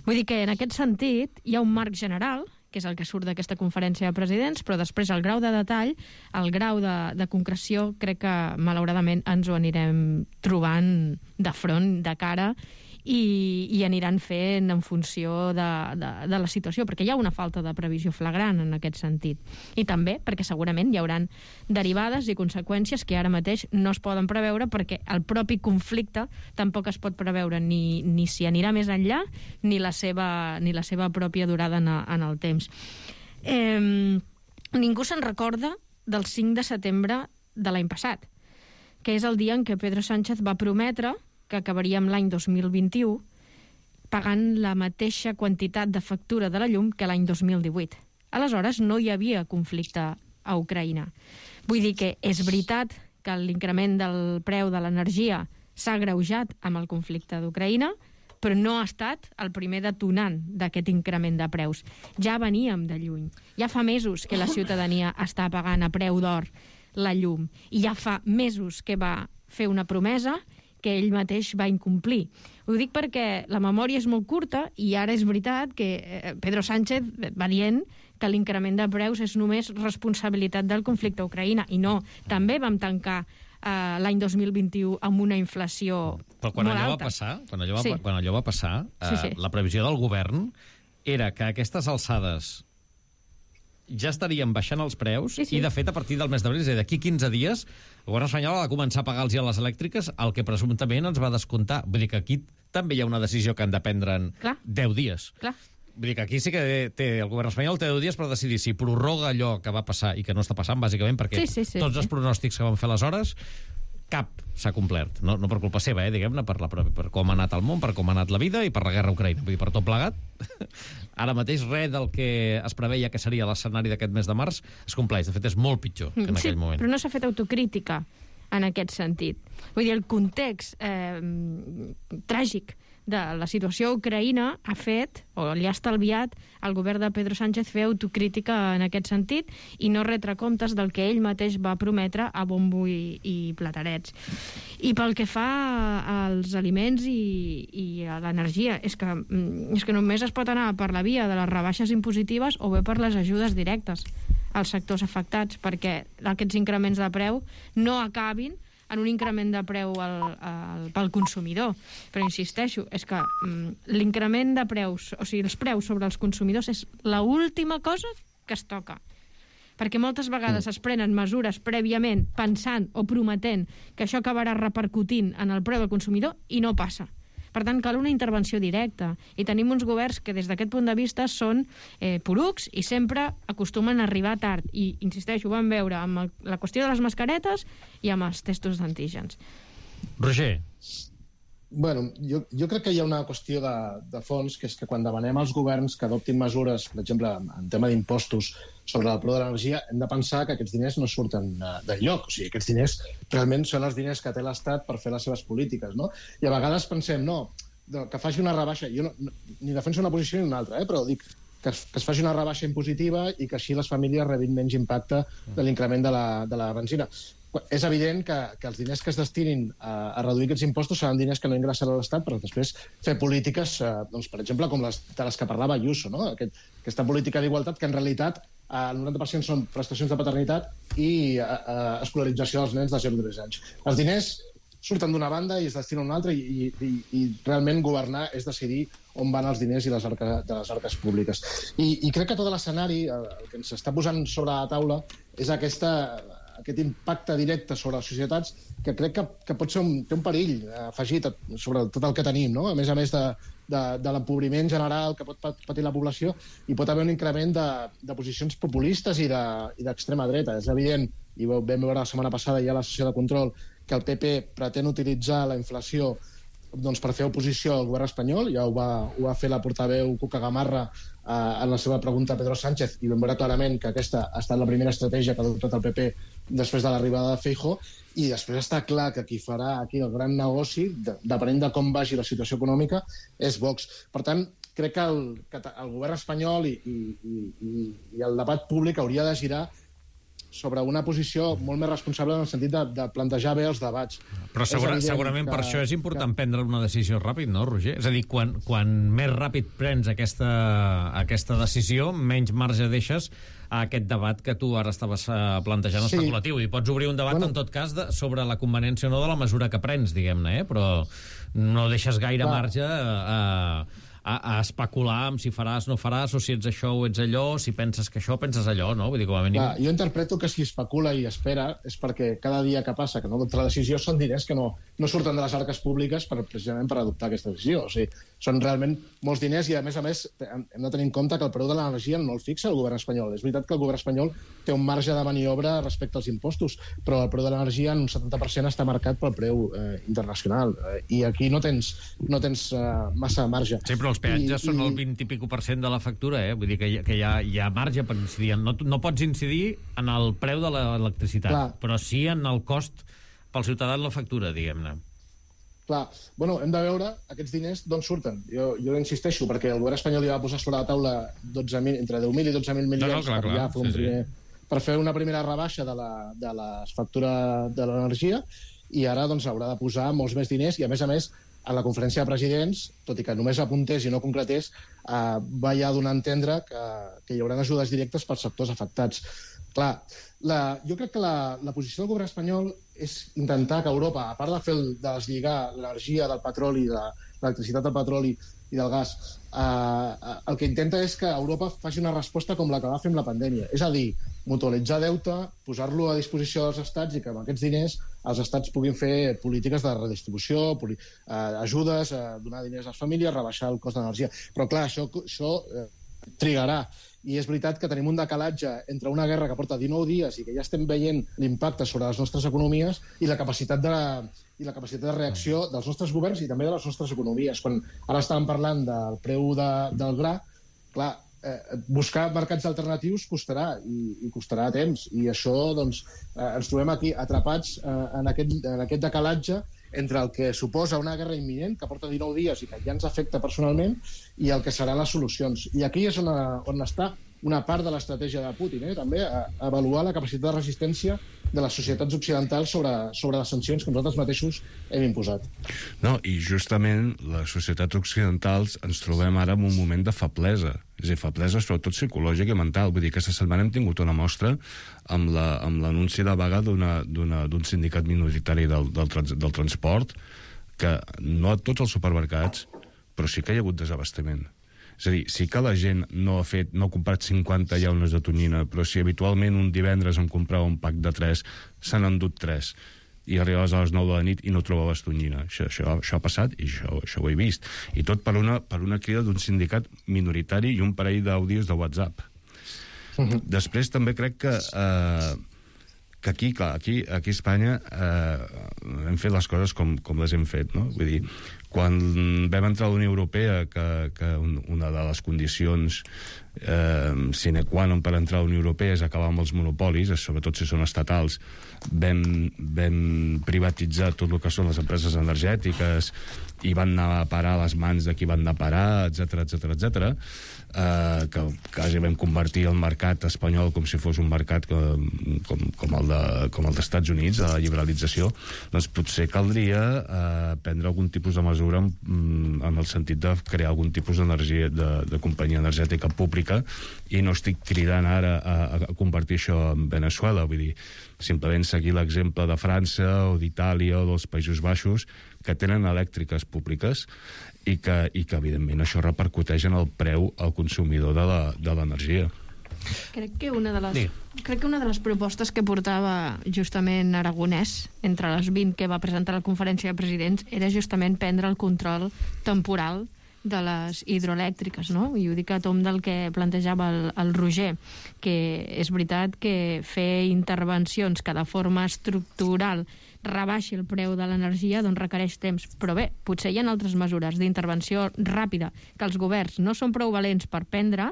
Vull dir que en aquest sentit hi ha un marc general, que és el que surt d'aquesta conferència de presidents, però després el grau de detall, el grau de, de concreció, crec que malauradament ens ho anirem trobant de front, de cara, i, i aniran fent en funció de, de, de la situació, perquè hi ha una falta de previsió flagrant en aquest sentit. I també perquè segurament hi hauran derivades i conseqüències que ara mateix no es poden preveure, perquè el propi conflicte tampoc es pot preveure ni, ni si anirà més enllà ni la seva, ni la seva pròpia durada en, en el temps. Eh, ningú se'n recorda del cinc de setembre de l'any passat, que és el dia en què Pedro Sánchez va prometre que acabaríem l'any dos mil vint-i-u pagant la mateixa quantitat de factura de la llum que l'any dos mil divuit. Aleshores, no hi havia conflicte a Ucraïna. Vull dir que és veritat que l'increment del preu de l'energia s'ha agreujat amb el conflicte d'Ucraïna, però no ha estat el primer detonant d'aquest increment de preus. Ja veníem de lluny. Ja fa mesos que la ciutadania està pagant a preu d'or la llum, i ja fa mesos que va fer una promesa que ell mateix va incomplir. Ho dic perquè la memòria és molt curta i ara és veritat que Pedro Sánchez va dient que l'increment de preus és només responsabilitat del conflicte a Ucraïna, i no. També vam tancar eh, l'any dos mil vint-i-u amb una inflació Però quan molt allò alta. va passar, quan allò va, Sí. quan allò va passar, eh, Sí, sí. la previsió del govern era que a aquestes alçades ja estaríem baixant els preus, Sí, sí. i de fet a partir del mes d'abril, és a dir, d'aquí quinze dies, el govern espanyol ha de començar a pagar-los a les elèctriques el que presumptament ens va descomptar. Vull dir que aquí també hi ha una decisió que han de prendre en Clar. deu dies. Clar. Vull dir que aquí sí que té, el govern espanyol té deu dies per decidir si prorroga allò que va passar i que no està passant, bàsicament, perquè Sí, sí, sí, tots sí. els pronòstics que van fer aleshores, cap s'ha complert. No, no per culpa seva, eh, diguem-ne, per, la, per com ha anat el món, per com ha anat la vida i per la guerra a Ucraïna. Vull dir, per tot plegat, ara mateix res del que es preveia que seria l'escenari d'aquest mes de març es compleix. De fet, és molt pitjor que en Sí, aquell moment. però no s'ha fet autocrítica en aquest sentit. Vull dir, el context eh, tràgic de la situació a Ucraïna ha fet, o li ha estalviat al govern de Pedro Sánchez fer autocrítica en aquest sentit i no retre comptes del que ell mateix va prometre a bombo i, i platerets. I pel que fa als aliments i, i a l'energia, és que, és que només es pot anar per la via de les rebaixes impositives o bé per les ajudes directes. als sectors afectats perquè aquests increments de preu no acabin en un increment de preu al, al, pel consumidor. Però insisteixo, és que mm, l'increment de preus, o sigui, els preus sobre els consumidors és l'última cosa que es toca. Perquè moltes vegades es prenen mesures prèviament pensant o prometent que això acabarà repercutint en el preu del consumidor i no passa. Per tant, cal una intervenció directa. I tenim uns governs que, des d'aquest punt de vista, són eh, porucs i sempre acostumen a arribar tard. I, insisteixo, ho vam veure amb el, la qüestió de les mascaretes i amb els testos d'antígens. Roger. Bueno, jo, jo crec que hi ha una qüestió de, de fons, que és que quan demanem als governs que adoptin mesures, per exemple, en tema d'impostos sobre el preu de l'energia, hem de pensar que aquests diners no surten d'enlloc. O sigui, aquests diners realment són els diners que té l'Estat per fer les seves polítiques, no? I a vegades pensem, no, que faci una rebaixa. Jo no, no, ni defenso una posició ni una altra, eh, però dic que es, que es faci una rebaixa impositiva i que així les famílies rebin menys impacte de l'increment de la, de la benzina. És evident que, que els diners que es destinin a, a reduir aquests impostos seran diners que no ingressarà a l'Estat per després fer polítiques, eh, doncs, per exemple, com les de les que parlava Ayuso, no? Aquest, aquesta política d'igualtat que en realitat eh, el noranta per cent són prestacions de paternitat i eh, eh, escolarització dels nens de zero a tres anys. Els diners surten d'una banda i es destinen a una altra i, i, i realment governar és decidir on van els diners i les arca, de les arques públiques. I, i crec que tot l'escenari, el que ens està posant sobre la taula, és aquesta... aquest impacte directe sobre les societats que crec que, que pot ser un, té un perill afegit sobre tot el que tenim, no? A més a més de, de, de l'empobriment general que pot patir la població, i pot haver un increment de, de posicions populistes i d'extrema de, dreta. És evident, i vam veure la setmana passada ja a la sessió de control, que el P P pretén utilitzar la inflació doncs, per fer oposició al govern espanyol. Ja ho va, ho va fer la portaveu Cuca Gamarra eh, en la seva pregunta a Pedro Sánchez, i vam veure clarament que aquesta ha estat la primera estratègia que ha adoptat el P P després de l'arribada de Feijóo, i després està clar que qui farà aquí el gran negoci, de, depenent de com vagi la situació econòmica, és Vox. Per tant, crec que el, que el govern espanyol i, i, i, i el debat públic hauria de girar sobre una posició molt més responsable en el sentit de, de plantejar bé els debats. Però segura, segurament que, per això és important que... prendre una decisió ràpid, no, Roger? És a dir, quan, quan més ràpid prens aquesta, aquesta decisió, menys marge deixes a aquest debat que tu ara estaves plantejant sí. especulatiu. I pots obrir un debat, bueno, en tot cas, de, sobre la conveniència o no de la mesura que prens, diguem-ne, eh? Però no deixes gaire Clar. marge a... A, a especular amb si faràs, no faràs, o si ets això o ets allò, si penses que això, penses allò, no? Vull dir, com a mínim... Clar, jo interpreto que si especula i espera és perquè cada dia que passa que no adopta la decisió són diners que no, no surten de les arques públiques per, precisament per adoptar aquesta decisió. O sigui, són realment molts diners i, a més a més, hem de tenir en compte que el preu de l'energia no el fixa el govern espanyol. És veritat que el govern espanyol té un marge de maniobra respecte als impostos, però el preu de l'energia en un setanta per cent està marcat pel preu eh, internacional. Eh, I aquí no tens, no tens eh, massa marge. Sí, però els peatges I, són i... el vint i pico per cent de la factura, eh? Vull dir que hi, que hi, ha, hi ha marge per incidir. No, no pots incidir en el preu de l'electricitat, Clar. però sí en el cost pel ciutadà en la factura, diguem-ne. Clar, bueno, hem de veure aquests diners d'on surten. Jo, jo insisteixo, perquè el govern espanyol ja va posar sobre la taula dotze mil, entre deu mil i dotze mil milions no, no, clar, per, ja fer un sí, primer, sí. per fer una primera rebaixa de la, de la factura de l'energia, i ara doncs, haurà de posar molts més diners, i a més a més a la conferència de presidents, tot i que només apuntés i no concretés, eh, va ja donar a entendre que, que hi haurà ajudes directes pels sectors afectats. Clar, la, jo crec que la, la posició del govern espanyol és intentar que Europa, a part de fer el, de deslligar l'energia del petroli, de l'electricitat del petroli i del gas, eh, el que intenta és que Europa faci una resposta com la que va fer amb la pandèmia. És a dir, mutualitzar deute, posar-lo a disposició dels estats i que amb aquests diners els estats puguin fer polítiques de redistribució, poli, eh, ajudes, eh, donar diners a les famílies, rebaixar el cost d'energia. Però clar, això, això eh, trigarà. I és veritat que tenim un decalatge entre una guerra que porta dinou dies i que ja estem veient l'impacte sobre les nostres economies i la capacitat de, i la capacitat de reacció dels nostres governs i també de les nostres economies. Quan ara estàvem parlant del preu de, del gra, clar, eh, buscar mercats alternatius costarà i, i costarà temps. I això, doncs, eh, ens trobem aquí atrapats eh, en, aquest, en aquest decalatge entre el que suposa una guerra imminent que porta dinou dies i que ja ens afecta personalment i el que seran les solucions. I aquí és on, on està una part de l'estratègia de Putin, eh? també a, a avaluar la capacitat de resistència de les societats occidentals sobre, sobre les sancions que nosaltres mateixos hem imposat. No, i justament les societats occidentals ens trobem ara en un moment de feblesa. És a dir, feblesa sobretot psicològica i mental. Vull dir, aquesta setmana hem tingut una mostra amb l'anunci de vaga d'un sindicat minoritari del, del, trans, del transport, que no a tots els supermercats, però sí que hi ha hagut desabastament. És a dir, sí que la gent no ha fet, no ha comprat cinquanta llaunes de tonyina, però si habitualment un divendres em comprava un pack de tres, se n'han endut tres, i arribaves a les nou de la nit i no trobaves tonyina. Això, això, això ha passat i això, això ho he vist. I tot per una, per una crida d'un sindicat minoritari i un parell d'àudios de WhatsApp. Uh-huh. Després també crec que... Eh, que aquí, clar, aquí, aquí a Espanya eh, hem fet les coses com, com les hem fet, no? Vull dir, quan vam entrar a la Unió Europea, que, que una de les condicions eh, sine qua non per entrar a la Unió Europea és acabar amb els monopolis, sobretot si són estatals, vam, vam privatitzar tot el que són les empreses energètiques i van anar a parar a les mans de qui van anar a parar, etcètera, etcètera, etcètera. Uh, que quasi vam convertir el mercat espanyol com si fos un mercat com, com, com el de, com el dels Estats Units, a la liberalització, doncs potser caldria uh, prendre algun tipus de mesura en, en el sentit de crear algun tipus d'energia, de, de companyia energètica pública, i no estic cridant ara a, a convertir això en Venezuela, vull dir, simplement seguir l'exemple de França o d'Itàlia o dels Països Baixos, que tenen elèctriques públiques i que, i que evidentment, això repercuteix en el preu al consumidor de l'energia. Crec que una de les... Sí. Crec que una de les propostes que portava justament Aragonès, entre les vint que va presentar a la conferència de presidents, era justament prendre el control temporal de les hidroelèctriques, no? I ho dic a tom del que plantejava el, el Roger, que és veritat que fer intervencions que de forma estructural rebaixi el preu de l'energia doncs requereix temps. Però bé, potser hi ha altres mesures d'intervenció ràpida que els governs no són prou valents per prendre,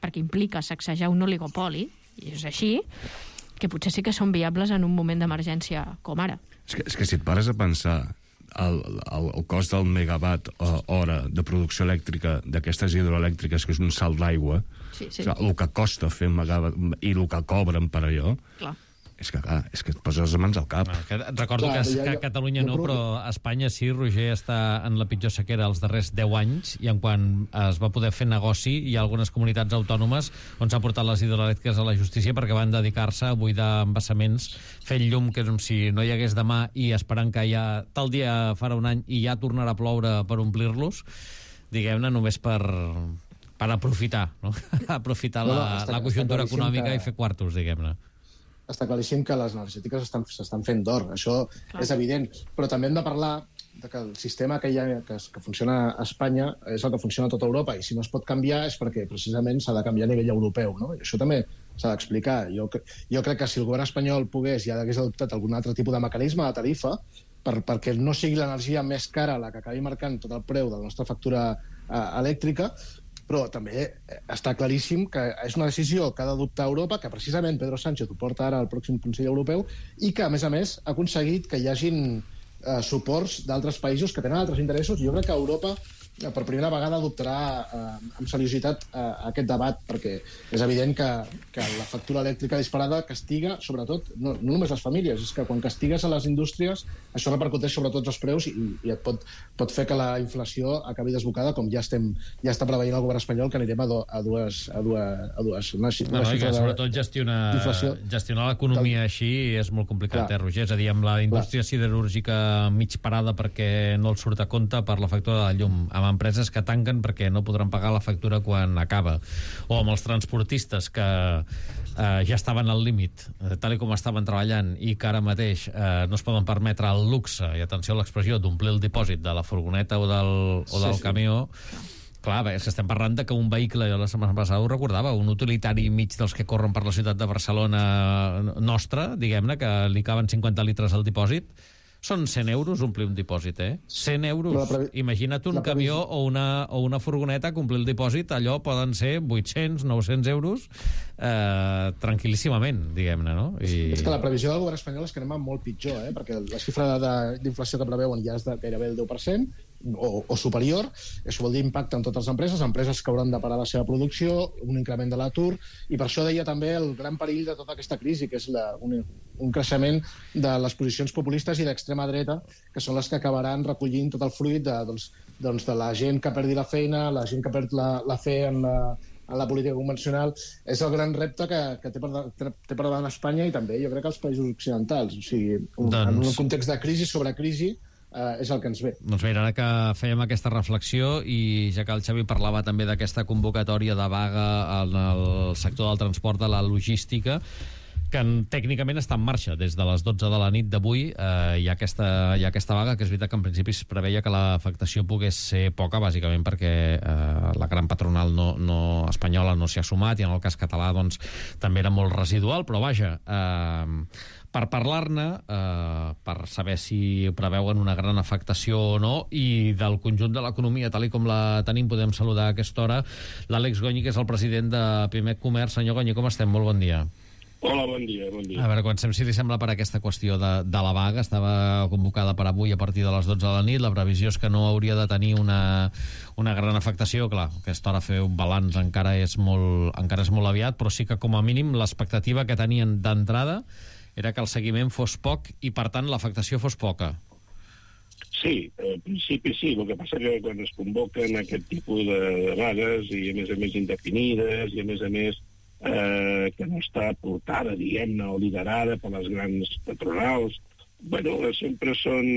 perquè implica sacsejar un oligopoli, i és així, que potser sí que són viables en un moment d'emergència com ara. És que, és que si et pares a pensar el, el, el cost del megawatt hora de producció elèctrica d'aquestes hidroelèctriques, que és un salt d'aigua, sí, sí. O sigui, el que costa fer un megawatt i el que cobren per allò... Clar. És que, clar, és que et poses les mans al cap. Ah, que recordo clar, que, que a Catalunya no, però a Espanya sí. Roger està en la pitjor sequera els darrers deu anys, i en quan es va poder fer negoci, hi ha algunes comunitats autònomes on s'ha portat les hidroelèctriques a la justícia perquè van dedicar-se a buidar embassaments fent llum, que és com si no hi hagués demà, i esperant que ja tal dia farà un any i ja tornarà a ploure per omplir-los, diguem-ne, només per... per aprofitar, no? aprofitar no, no, la, està, la conjuntura econòmica que... i fer quartos, diguem-ne. Està claríssim que les energètiques s'estan fent d'or, això Clar. És evident. Però també hem de parlar de que el sistema que, hi ha, que, que funciona a Espanya és el que funciona a tota Europa, i si no es pot canviar és perquè precisament s'ha de canviar a nivell europeu, no? I això també s'ha d'explicar. Jo, jo crec que si el govern espanyol pogués i hagués adoptat algun altre tipus de mecanisme de tarifa per, perquè no sigui l'energia més cara la que acabi marcant tot el preu de la nostra factura eh, elèctrica, però també està claríssim que és una decisió que ha d'adoptar Europa, que precisament Pedro Sánchez ho porta ara al pròxim Consell Europeu, i que, a més a més, ha aconseguit que hi hagin eh, suports d'altres països que tenen altres interessos. Jo crec que Europa, eh, per primera vegada, adoptarà eh, amb seriositat eh, aquest debat, perquè és evident que, que la factura elèctrica disparada castiga, sobretot, no, no només les famílies, és que quan castigues a les indústries, això repercuteix sobre tots els preus i, i et pot, pot fer que la inflació acabi desbocada, com ja estem ja està preveient el govern espanyol, que anirem a, do, a dues... A dues, a dues una, una no, no, que sobretot gestionar, gestionar l'economia així és molt complicat, Clar. eh, Roger? És a dir, amb la indústria Clar. siderúrgica mig parada perquè no els surt a compte per la factura de la llum, amb empreses que tanquen perquè no podran pagar la factura quan acaba, o amb els transportistes que eh, ja estaven al límit, eh, tal com estaven treballant, i que ara mateix eh, no es poden permetre el luxe, i atenció a l'expressió, d'omplir el dipòsit de la furgoneta o del, o del sí, camió. Sí. Clar, és que estem parlant de que un vehicle, jo la setmana passada ho recordava, un utilitari mig dels que corren per la ciutat de Barcelona nostra, diguem-ne, que li caben cinquanta litres al dipòsit, són cent euros omplir un dipòsit, eh? cent euros. Previ... Imagina't un camió o una, o una furgoneta que omplir el dipòsit, allò poden ser vuit-cents, nou-cents euros eh, tranquil·líssimament, diguem-ne, no? I... És que la previsió del govern espanyol és que anem molt pitjor, eh? Perquè la xifra d'inflació que preveuen ja és de gairebé el deu per cent, o, o superior. Això vol dir impacte en totes les empreses, empreses que hauran de parar la seva producció, un increment de l'atur, i per això deia també el gran perill de tota aquesta crisi, que és la, un, un creixement de les posicions populistes i d'extrema dreta, que són les que acabaran recollint tot el fruit de, doncs, doncs de la gent que perdi la feina, la gent que perd la, la fe en la, en la política convencional, és el gran repte que, que té, per, té per davant Espanya i també jo crec que els països occidentals. O sigui, un, doncs... en un context de crisi sobre crisi, Uh, és el que ens ve. Doncs mira, ara que fèiem aquesta reflexió i ja que el Xavi parlava també d'aquesta convocatòria de vaga en el sector del transport, de la logística, que tècnicament està en marxa des de les dotze de la nit d'avui, eh, hi, ha aquesta, hi ha aquesta vaga, que és veritat que en principi es preveia que l'afectació pogués ser poca, bàsicament perquè eh, la gran patronal no, no, espanyola no s'hi ha sumat, i en el cas català doncs, també era molt residual, però vaja... Eh, per parlar-ne, eh, per saber si preveuen una gran afectació o no, i del conjunt de l'economia, tal i com la tenim, podem saludar a aquesta hora l'Àlex Goñi, que és el president de Pimec Comerç. Senyor Goñi, com estem? Molt bon dia. Hola, bon dia, bon dia. A veure, comencem, si li sembla, per aquesta qüestió de, de la vaga. Estava convocada per avui a partir de les dotze de la nit. La previsió és que no hauria de tenir una, una gran afectació. Clar, a aquesta hora fer un balanç encara és molt, encara és molt aviat, però sí que, com a mínim, l'expectativa que tenien d'entrada era que el seguiment fos poc i, per tant, l'afectació fos poca. Sí, al principi sí. El que passa que quan es convoquen aquest tipus de, de vagues, i a més a més indefinides, i a més a més eh, que no està portada, diguem-ne, o liderada per les grans patronals, bueno, sempre són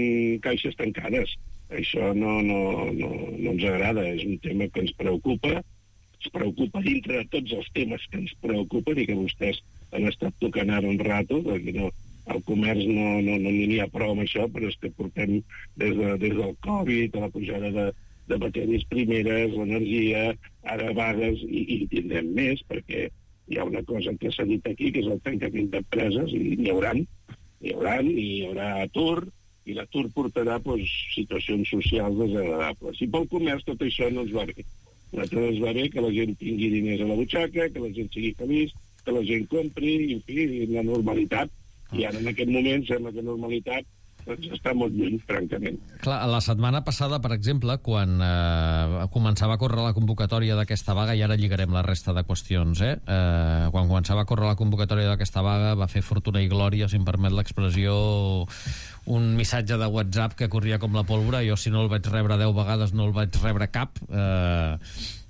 caixes tancades. Això no, no, no, no ens agrada, és un tema que ens preocupa, ens preocupa dintre de tots els temes que ens preocupen i que vostès han estat tocant ara un rato, perquè no, el comerç no n'hi no, no ha prou amb això, però és que portem des, de, des del Covid, a la pujada de, de matèries primeres, l'energia, ara vagues, i, i tindrem més, perquè hi ha una cosa que s'ha dit aquí, que és el tancament d'empreses, i n'hi haurà, n'hi haurà, i hi haurà atur, i l'atur portarà doncs, situacions socials desagradables. I pel comerç tot això no ens va bé. A nosaltres ens va bé que la gent tingui diners a la butxaca, que la gent sigui feliç, que la gent compri, i, en fi, la normalitat. I ara, en aquest moment, sembla que normalitat doncs, està molt lluny, francament. Clar, la setmana passada, per exemple, quan eh, començava a córrer la convocatòria d'aquesta vaga, i ara lligarem la resta de qüestions, eh? eh quan començava a córrer la convocatòria d'aquesta vaga, va fer fortuna i glòria, si em permet l'expressió, un missatge de WhatsApp que corria com la pólvora. Jo, si no el vaig rebre deu vegades, no el vaig rebre cap, eh,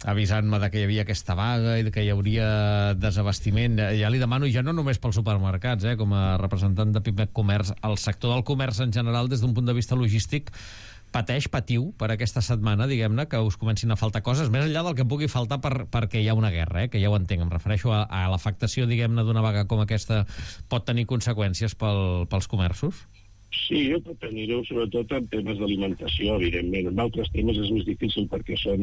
avisant-me de que hi havia aquesta vaga i que hi hauria desabastiment. Ja li demano, ja no només pels supermercats, eh, com a representant de Pimec Comerç, el sector del comerç en general, des d'un punt de vista logístic, pateix, patiu, per aquesta setmana, diguem-ne, que us comencin a faltar coses, més enllà del que pugui faltar per, perquè hi ha una guerra, eh, que ja ho entenc. Em refereixo a, a l'afectació, diguem-ne, d'una vaga com aquesta pot tenir conseqüències pel, pels comerços? Sí, pot tenir-ho, sobretot en temes d'alimentació, evidentment. En altres temes és més difícil perquè són,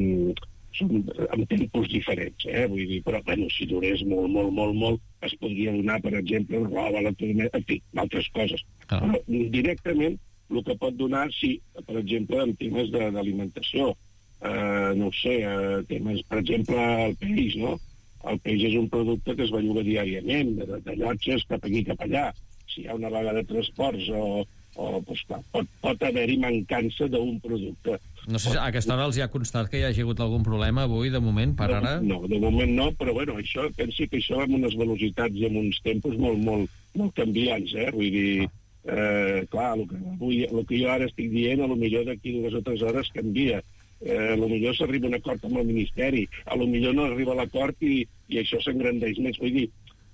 són en tempos diferents, eh? Vull dir, però, bueno, si durés molt, molt, molt, molt, es podria donar, per exemple, roba, en fi, altres coses. Ah. Però directament, el que pot donar, sí, per exemple, en temes d'alimentació. Eh, no ho sé, eh, temes, per exemple, el peix, no? El peix és un producte que es belluga diàriament, de, de llotges cap aquí, cap allà. Si hi ha una vaga de transports o, o doncs, clar, pot, pot haver-hi mancança d'un producte. No sé si a aquesta hora els hi ha constat que hi hagi hagut algun problema avui, de moment, per no, ara? No, de moment no, però bueno, això, pensi que això amb unes velocitats i amb uns tempos molt, molt, molt canviants, eh? Vull dir, eh, clar, el que, avui, el que jo ara estic dient, a lo millor d'aquí dues o tres hores canvia. Eh, a lo millor s'arriba a un acord amb el Ministeri, a lo millor no arriba a l'acord i, i això s'engrandeix més. Vull dir,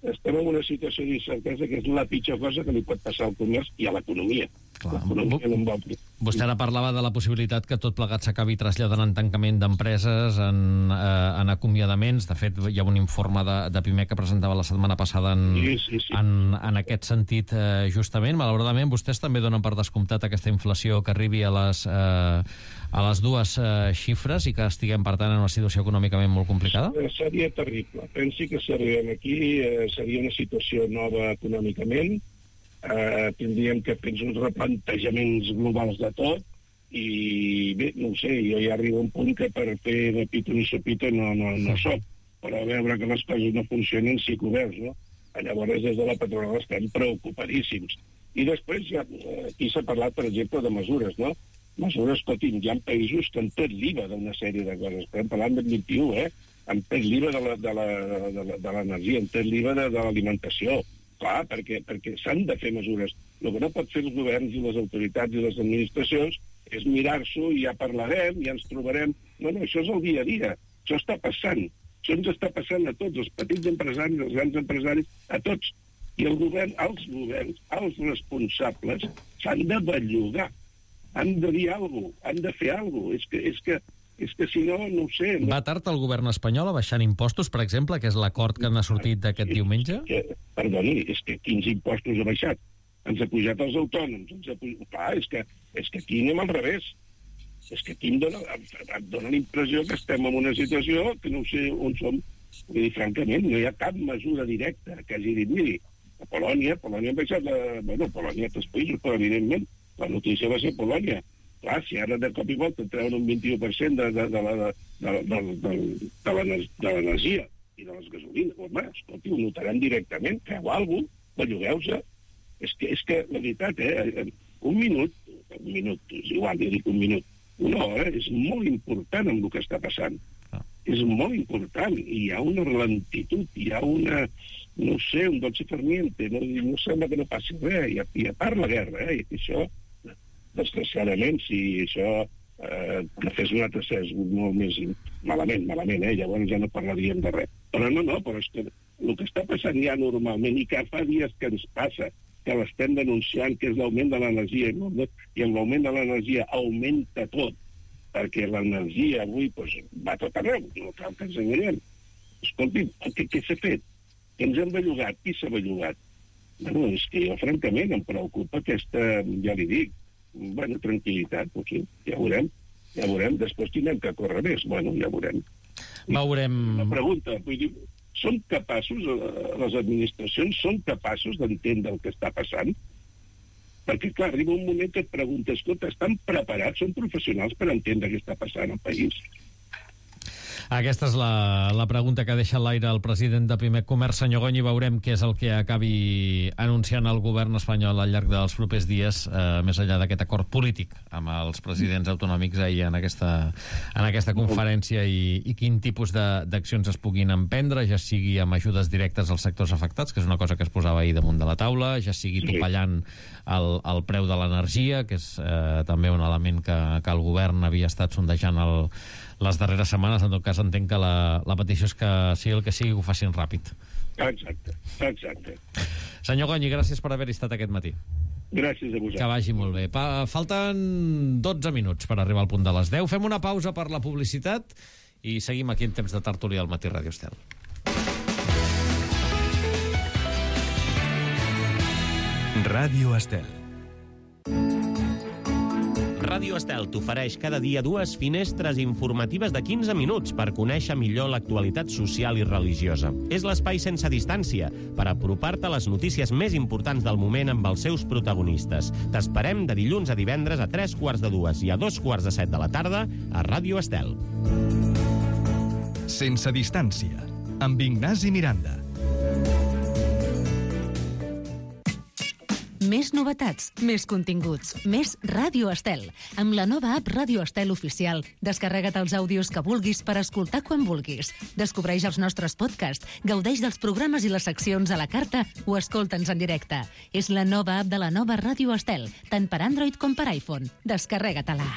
estem en una situació d'incertesa que és la pitjor cosa que li pot passar al comerç i a l'economia. L'economia no en va obrir. Vostè ara parlava de la possibilitat que tot plegat s'acabi traslladant en tancament d'empreses, en, eh, en acomiadaments. De fet, hi ha un informe de, de Pimec que presentava la setmana passada en, sí, sí, sí. en, en aquest sentit, eh, justament. Malauradament, vostès també donen per descomptat aquesta inflació que arribi a les, eh, a les dues eh, xifres i que estiguem, per tant, en una situació econòmicament molt complicada? Seria terrible. Pensi que si arribem aquí eh, seria una situació nova econòmicament. Eh, tindríem que fer uns replantejaments globals de tot i bé, no ho sé, jo ja arribo a un punt que per fer de pito ni sopito no, no, no soc, però a veure que les coses no funcionen sí que ho veus, no? Llavors des de la patronal estem preocupadíssims. I després ja, aquí s'ha parlat, per exemple, de mesures, no? Mesures, escolti'm, hi ha països que han tret l'I V A d'una sèrie de coses, estem parlant del vint i u, eh? Han tret l'I V A de l'energia, han tret l'I V A de, de l'alimentació. Clar, perquè, perquè s'han de fer mesures. El que no pot fer els governs i les autoritats i les administracions és mirar-s'ho i ja parlarem, ja ens trobarem. No, no, això és el dia a dia. Això està passant. Això ens està passant a tots, els petits empresaris, els grans empresaris, a tots. I el govern, els governs, els responsables, s'han de bellugar, han de dir alguna cosa, han de fer alguna cosa. És que, és que, és que si no, no ho sé. No... Va tard el govern espanyol a baixar impostos, per exemple, que és l'acord que n'ha sortit d'aquest diumenge? Que, perdoni, és que quins impostos ha baixat? Ens ha pujat els autònoms. Ens ha pujat... Clar, és que, és que aquí anem al revés. És que aquí em dona, em dona la impressió que estem en una situació que no sé on som. Vull dir, francament, no hi ha cap mesura directa que hagi dit, miri, a Polònia, Polònia ha baixat la... Bueno, Polònia, altres països, però evidentment la notícia va ser Polònia. Clar, si ara de cop i volta treuen un vint-i-u per cent de, de, de, de, de, de, de, de l'energia i de les gasolines, home, escolti, ho notaran directament, feu alguna cosa, bellugueu-se. És que, és que, la veritat, eh, un minut, un minut, és igual, jo dic un minut, una hora és molt important amb el que està passant. Ah. És molt important. I hi ha una lentitud, hi ha una, no sé, un dolce fermiente, no, no sembla que no passi res, i a, i a part la guerra, eh? I això, desgraciadament, si això eh, que fes un altre ses molt més malament, malament, eh? Llavors ja no parlaríem de res. Però no, no, però és que el que està passant ja normalment, i que fa dies que ens passa, que l'estem denunciant, que és l'augment de l'energia, i amb l'augment de l'energia augmenta tot, perquè l'energia avui doncs, va tot arreu, no cal que ens enganyem. Escolti, què, què s'ha fet? Que ens hem bellugat? Qui s'ha bellugat? Bueno, és que jo, francament, em preocupa aquesta, ja li dic, bueno, tranquil·litat, potser, ja veurem, ja veurem, després tindrem que córrer més, bueno, ja veurem. Veurem... Una pregunta, vull dir, són capaços, les administracions són capaços d'entendre el que està passant? Perquè, clar, arriba un moment que et preguntes, escolta, estan preparats, són professionals per entendre què està passant al país? Aquesta és la, la pregunta que deixa a l'aire el president de Pimec Comerç, senyor Gony. Veurem què és el que acabi anunciant el govern espanyol al llarg dels propers dies, eh, més enllà d'aquest acord polític amb els presidents autonòmics ahir en aquesta, en aquesta conferència i, i quin tipus d'accions es puguin emprendre, ja sigui amb ajudes directes als sectors afectats, que és una cosa que es posava ahir damunt de la taula, ja sigui topallant el, el preu de l'energia, que és eh, també un element que, que el govern havia estat sondejant el les darreres setmanes. En tot cas, entenc que la, la petició és que sigui el que sigui, que ho facin ràpid. Exacte, exacte. Senyor Gony, gràcies per haver-hi estat aquest matí. Gràcies a vosaltres. Que vagi molt bé. Pa, falten dotze minuts per arribar al punt de les deu. Fem una pausa per la publicitat i seguim aquí en temps de tertúlia al Matí Ràdio Estel. Ràdio Estel. Ràdio Estel t'ofereix cada dia dues finestres informatives de quinze minuts per conèixer millor l'actualitat social i religiosa. És l'espai sense distància per apropar-te a les notícies més importants del moment amb els seus protagonistes. T'esperem de dilluns a divendres a tres quarts de dues i a dos quarts de set de la tarda a Ràdio Estel. Sense distància, amb Ignasi Miranda. Més novetats, més continguts, més Ràdio Estel. Amb la nova app Ràdio Estel Oficial, descarrega't els àudios que vulguis per escoltar quan vulguis. Descobreix els nostres podcasts, gaudeix dels programes i les seccions a la carta o escolta'ns en directe. És la nova app de la nova Ràdio Estel, tant per Android com per iPhone. Descarrega-te-la.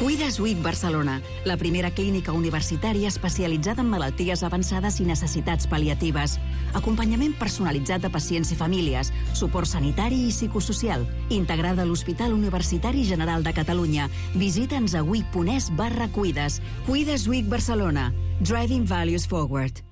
Cuides U I C Barcelona, la primera clínica universitària especialitzada en malalties avançades i necessitats pal·liatives. Acompanyament personalitzat de pacients i famílies, suport sanitari i psicosocial, integrada a l'Hospital Universitari General de Catalunya. Visita'ns a uic.es barra cuides. Cuides U I C Barcelona. Driving Values Forward.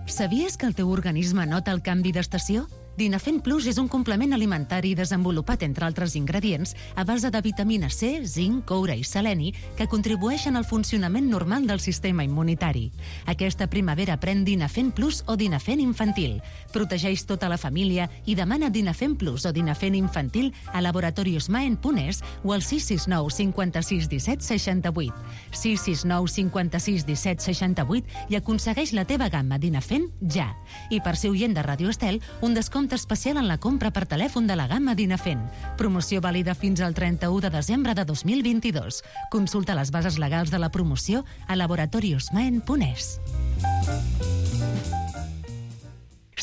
Sabies que el teu organisme nota el canvi d'estació? Dinafen Plus és un complement alimentari desenvolupat, entre altres ingredients, a base de vitamina C, zinc, coure i seleni, que contribueixen al funcionament normal del sistema immunitari. Aquesta primavera pren Dinafen Plus o Dinafen Infantil. Protegeix tota la família i demana Dinafen Plus o Dinafen Infantil a laboratoriosmaen punt es o al sis sis nou cinquanta-sis disset seixanta-vuit. sis sis nou cinquanta-sis disset seixanta-vuit i aconsegueix la teva gamma Dinafen ja. I per ser oient de Ràdio Estel, un descompte especial en la compra per telèfon de la gamma Dinafen. Promoció vàlida fins al trenta-u de desembre de dos mil vint-i-dos. Consulta les bases legals de la promoció a laboratoriosmaen punt es.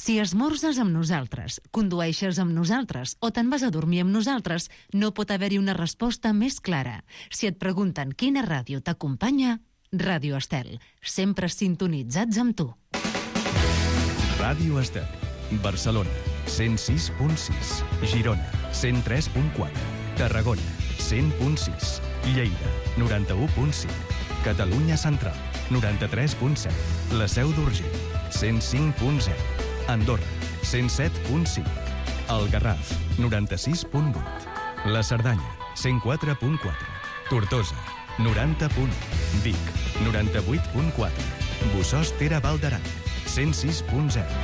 Si esmorzes amb nosaltres, condueixes amb nosaltres o te'n vas a dormir amb nosaltres, no pot haver-hi una resposta més clara. Si et pregunten quina ràdio t'acompanya, Ràdio Estel, sempre sintonitzats amb tu. Ràdio Estel, Barcelona, cent sis punt sis, Girona, cent tres punt quatre, Tarragona, cent punt sis, Lleida, noranta-u punt cinc, Catalunya Central, noranta-tres punt set, La Seu d'Urgell, cent cinc punt zero, Andorra, cent set punt cinc, El Garraf, noranta-sis punt vuit, La Cerdanya, cent quatre punt quatre, Tortosa, noranta punt u, Vic, noranta-vuit punt quatre, Bossòst-Tere Val d'Aran, cent sis punt zero.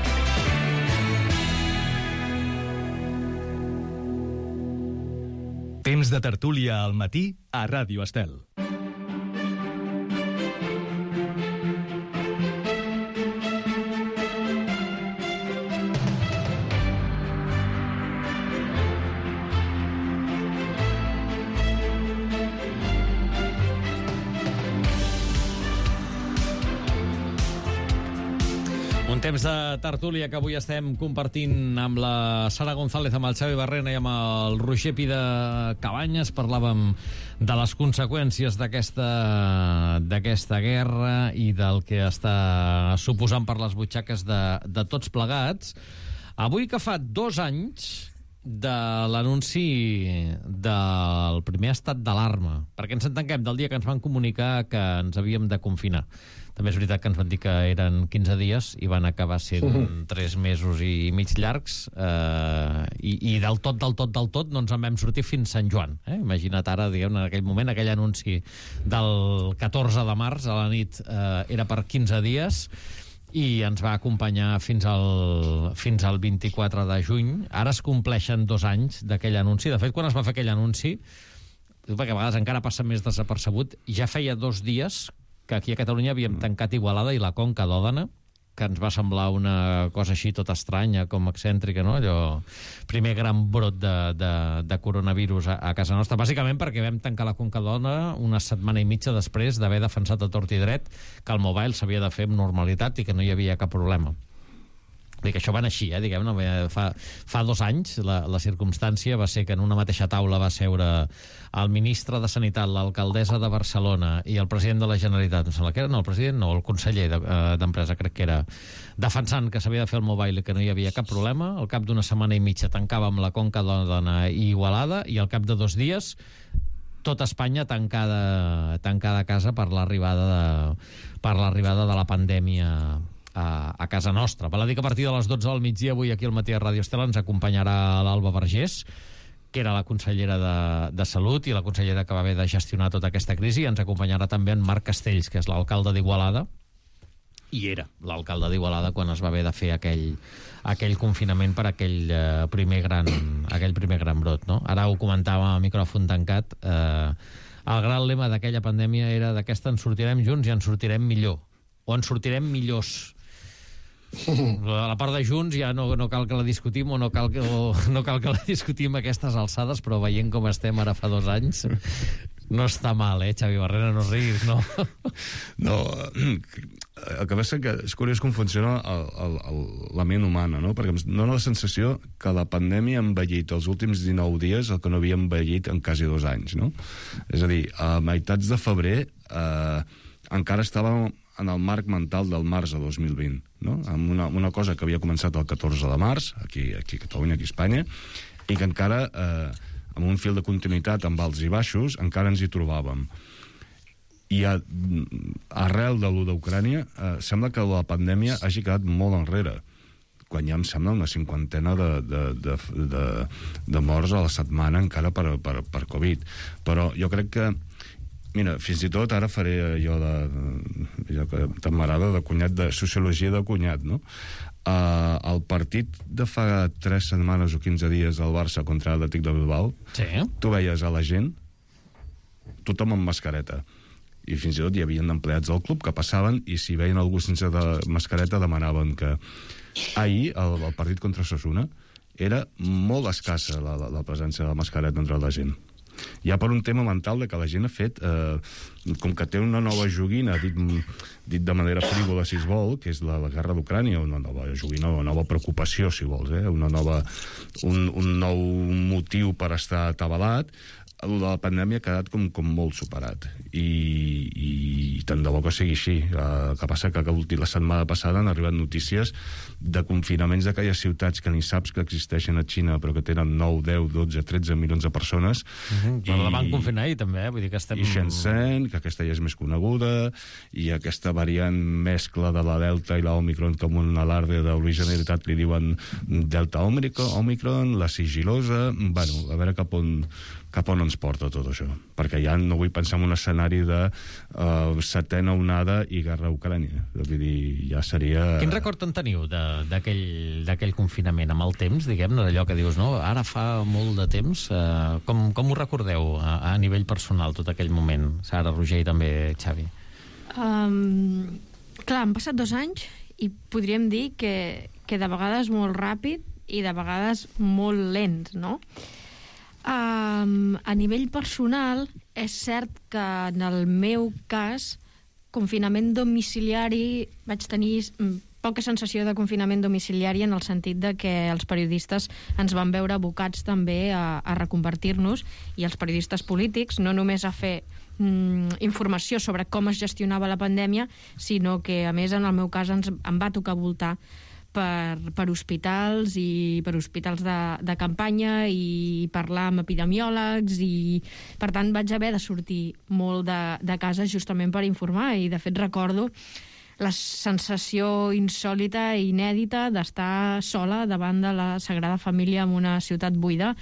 Temps de tertúlia al matí a Ràdio Estel. Temps de tertúlia que avui estem compartint amb la Sara González, amb el Xavi Barrena i amb el Roger Pi de Cabanyes. Parlàvem de les conseqüències d'aquesta d'aquesta guerra i del que està suposant per les butxaques de, de tots plegats. Avui que fa dos anys de l'anunci del primer estat d'alarma, perquè ens entenguem del dia que ens van comunicar que ens havíem de confinar. També és veritat que ens van dir que eren quinze dies i van acabar sent uh-huh. tres mesos i mig llargs, eh, i, i del tot, del tot, del tot no ens en vam sortir fins Sant Joan. Eh? Imagina't ara, diguem, en aquell moment, aquell anunci del catorze de març a la nit eh, era per quinze dies i ens va acompanyar fins al, fins al vint-i-quatre de juny. Ara es compleixen dos anys d'aquell anunci. De fet, quan es va fer aquell anunci, perquè a vegades encara passa més desapercebut, ja feia dos dies que aquí a Catalunya havíem tancat Igualada i la Conca d'Òdena, que ens va semblar una cosa així tot estranya, com excèntrica, no? Allò, primer gran brot de, de, de coronavirus a, a casa nostra, bàsicament perquè vam tancar la Conca d'Òdena una setmana i mitja després d'haver defensat a tort i dret que el mobile s'havia de fer amb normalitat i que no hi havia cap problema. Dic, això van així, eh, diguem-ne. Fa, fa dos anys la, la circumstància va ser que en una mateixa taula va seure el ministre de Sanitat, l'alcaldessa de Barcelona i el president de la Generalitat. Em sembla que era, no, el president no, el conseller d'Empresa, crec que era, defensant que s'havia de fer el mobile i que no hi havia cap problema. Al cap d'una setmana i mitja tancàvem la Conca d'Òdena i Igualada i al cap de dos dies tota Espanya tancada, tancada a casa per l'arribada de, per l'arribada de la pandèmia A, a casa nostra. Val a dir que a partir de les dotze del migdia avui aquí al matí a Ràdio Estel ens acompanyarà l'Alba Vergés, que era la consellera de, de Salut i la consellera que va haver de gestionar tota aquesta crisi, i ens acompanyarà també en Marc Castells, que és l'alcalde d'Igualada, i era l'alcalde d'Igualada quan es va haver de fer aquell, aquell confinament per aquell, eh, primer gran, aquell primer gran brot. No? Ara ho comentava a micròfon tancat, eh, el gran lema d'aquella pandèmia era d'aquesta en sortirem junts i en sortirem millor, o en sortirem millors. La part de Junts ja no, no cal que la discutim o no cal que, o no cal que la discutim a aquestes alçades, però veient com estem ara fa dos anys no està mal, eh, Xavi Barrena, no riguis, no? No, el que passa que és curiós com funciona el, el, el, la ment humana, no? Perquè em dóna la sensació que la pandèmia ha envellit els últims dinou dies el que no havia envellit en quasi dos anys, no? És a dir, a meitats de febrer eh, encara estàvem en el marc mental del març de dos mil vint, no? Amb una, una cosa que havia començat el catorze de març, aquí, aquí a Catalunya, aquí a Espanya, i que encara, eh, amb un fil de continuïtat amb alts i baixos, encara ens hi trobàvem. I a, arrel de l'u d'Ucrània, eh, sembla que la pandèmia hagi quedat molt enrere, quan ja em sembla una cinquantena de, de, de, de, de morts a la setmana encara per, per, per Covid. Però jo crec que mira, fins i tot ara faré allò de, allò que tant m'agrada, de cunyat, de sociologia de cunyat, no? Uh, el partit de fa tres setmanes o quinze dies del Barça contra l'Atlètic de Bilbao, sí. Tu veies a la gent, tothom amb mascareta. I fins i tot hi havia empleats del club que passaven i si veien algú sense de mascareta demanaven que... Ahir, el, el partit contra Osasuna, era molt escassa la, la, la presència de la mascareta entre la gent. ja per un tema mental de que la gent ha fet, eh, com que té una nova joguina, dit, dit de manera frívola, si es vol, que és la, la guerra d'Ucrània, una nova joguina, una nova preocupació, si vols, eh? una nova, un, un nou motiu per estar atabalat, la pandèmia ha quedat com, com molt superat i, i tant de bo que sigui així. El que passa que la setmana passada han arribat notícies de confinaments d'aquelles ciutats que ni saps que existeixen a Xina però que tenen nou, deu, dotze, tretze milions de persones. Uh-huh. Però i, la van confinar ahir també, eh? Vull dir que estem... I Shenzhen, que aquesta ja és més coneguda, i aquesta variant mescla de la Delta i la Omicron, com un alarde d'originalitat li diuen Delta Omicron, la sigilosa... Bueno, a veure cap on cap on ens porta tot això, perquè ja no vull pensar en un escenari de uh, setena onada i guerra a Ucrània. Vull dir, ja seria... Quin record en teniu d'aquell confinament? Amb el temps, diguem, d'allò que dius, no? Ara fa molt de temps. Uh, com, com ho recordeu a, a nivell personal, tot aquell moment? Sara, Roger i també Xavi. Um, clar, han passat dos anys i podríem dir que, que de vegades molt ràpid i de vegades molt lents, no? Um, a nivell personal, és cert que en el meu cas, confinament domiciliari, vaig tenir poca sensació de confinament domiciliari en el sentit de que els periodistes ens van veure abocats també a, a reconvertir-nos, i els periodistes polítics, no només a fer mm, informació sobre com es gestionava la pandèmia, sinó que, a més, en el meu cas, ens, em va tocar voltar Per, per hospitals i per hospitals de, de campanya i parlar amb epidemiòlegs, i per tant vaig haver de sortir molt de, de casa justament per informar, i de fet recordo la sensació insòlita i inèdita d'estar sola davant de la Sagrada Família en una ciutat buida,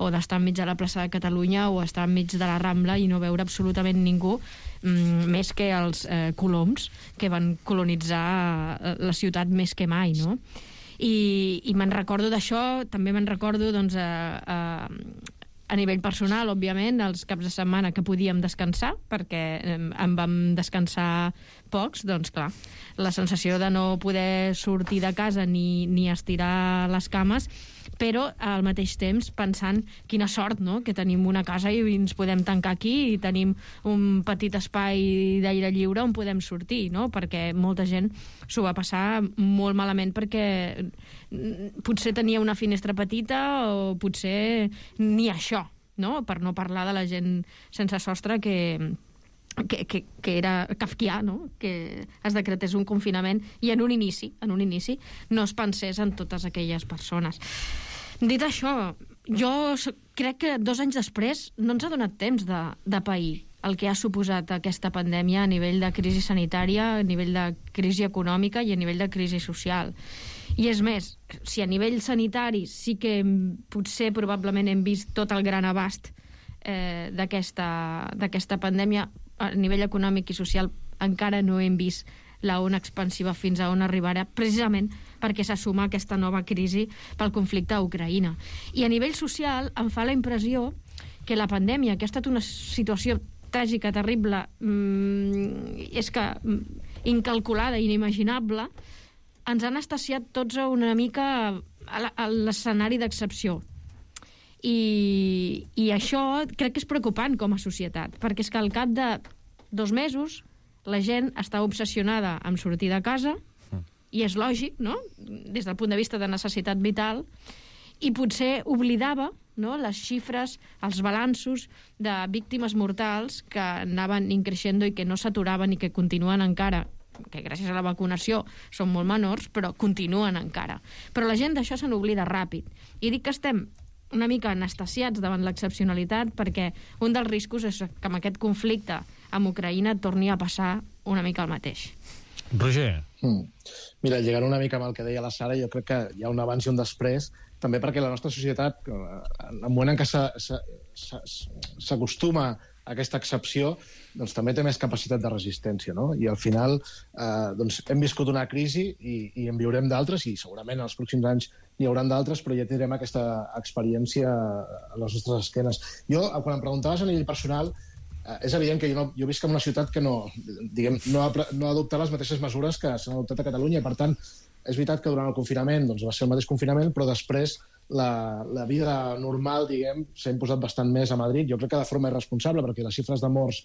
o d'estar enmig de la plaça de Catalunya o estar enmig de la Rambla i no veure absolutament ningú, més que els eh, coloms que van colonitzar la ciutat més que mai, no? I, i me'n recordo d'això, també me'n recordo, doncs, a, a, a nivell personal, òbviament, els caps de setmana que podíem descansar, perquè en vam descansar pocs, doncs clar, la sensació de no poder sortir de casa ni, ni estirar les cames, però al mateix temps pensant quina sort, no?, que tenim una casa i ens podem tancar aquí i tenim un petit espai d'aire lliure on podem sortir, no?, perquè molta gent s'ho va passar molt malament perquè potser tenia una finestra petita o potser ni això, no?, per no parlar de la gent sense sostre que... Que, que, que era kafkià, no?, que es decretés un confinament i en un inici, en un inici no es pensés en totes aquelles persones. Dit això, jo crec que dos anys després no ens ha donat temps de, de pair el que ha suposat aquesta pandèmia a nivell de crisi sanitària, a nivell de crisi econòmica i a nivell de crisi social. I és més, si a nivell sanitari sí que potser probablement hem vist tot el gran abast eh, d'aquesta d'aquesta pandèmia, a nivell econòmic i social encara no hem vist la ona expansiva fins a on arribarà, precisament perquè s'assuma aquesta nova crisi pel conflicte a Ucraïna. I a nivell social em fa la impressió que la pandèmia, que ha estat una situació tràgica, terrible, mmm, és que incalculada, inimaginable, ens han estasiat tots una mica a l'escenari d'excepció. I, i això crec que és preocupant com a societat, perquè és que al cap de dos mesos la gent està obsessionada amb sortir de casa, i és lògic, no?, des del punt de vista de necessitat vital, i potser oblidava, no?, les xifres, els balanços de víctimes mortals que anaven increixendo i que no s'aturaven i que continuen encara, que gràcies a la vacunació són molt menors, però continuen encara. Però la gent d'això se n'oblida ràpid. I dic que estem una mica anestesiats davant l'excepcionalitat, perquè un dels riscos és que amb aquest conflicte amb Ucraïna torni a passar una mica el mateix. Roger. Mm. Mira, llegant una mica amb el que deia la Sara, jo crec que hi ha un abans i un després, també perquè la nostra societat, en el moment en què s'acostuma a aquesta excepció, doncs també té més capacitat de resistència, no? I al final eh, doncs hem viscut una crisi i, i en viurem d'altres, i segurament en els pròxims anys n'hi haurà d'altres, però ja tindrem aquesta experiència a les nostres esquenes. Jo, quan em preguntaves a nivell personal, eh, és evident que jo, no, jo visc en una ciutat que no, diguem, no, ha, no ha adoptat les mateixes mesures que s'han adoptat a Catalunya, i per tant és veritat que durant el confinament doncs, va ser el mateix confinament, però després la, la vida normal, diguem, s'ha imposat bastant més a Madrid. Jo crec que de forma irresponsable, perquè les xifres de morts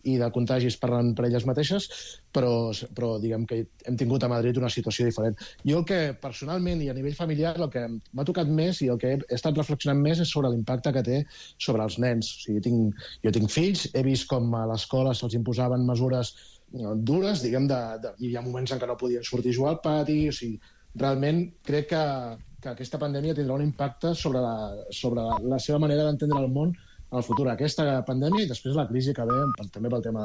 i de contagis parlen per elles mateixes, però, però diguem que hem tingut a Madrid una situació diferent. Jo el que, personalment, i a nivell familiar, el que m'ha tocat més i el que he estat reflexionant més és sobre l'impacte que té sobre els nens. O sigui, tinc, jo tinc fills, he vist com a l'escola se'ls imposaven mesures dures, diguem, de, de, hi ha moments en què no podien sortir a jugar al pati, o sigui, realment crec que, que aquesta pandèmia tindrà un impacte sobre la, sobre la, la seva manera d'entendre el món en el futur, aquesta pandèmia i després la crisi que ve també pel tema de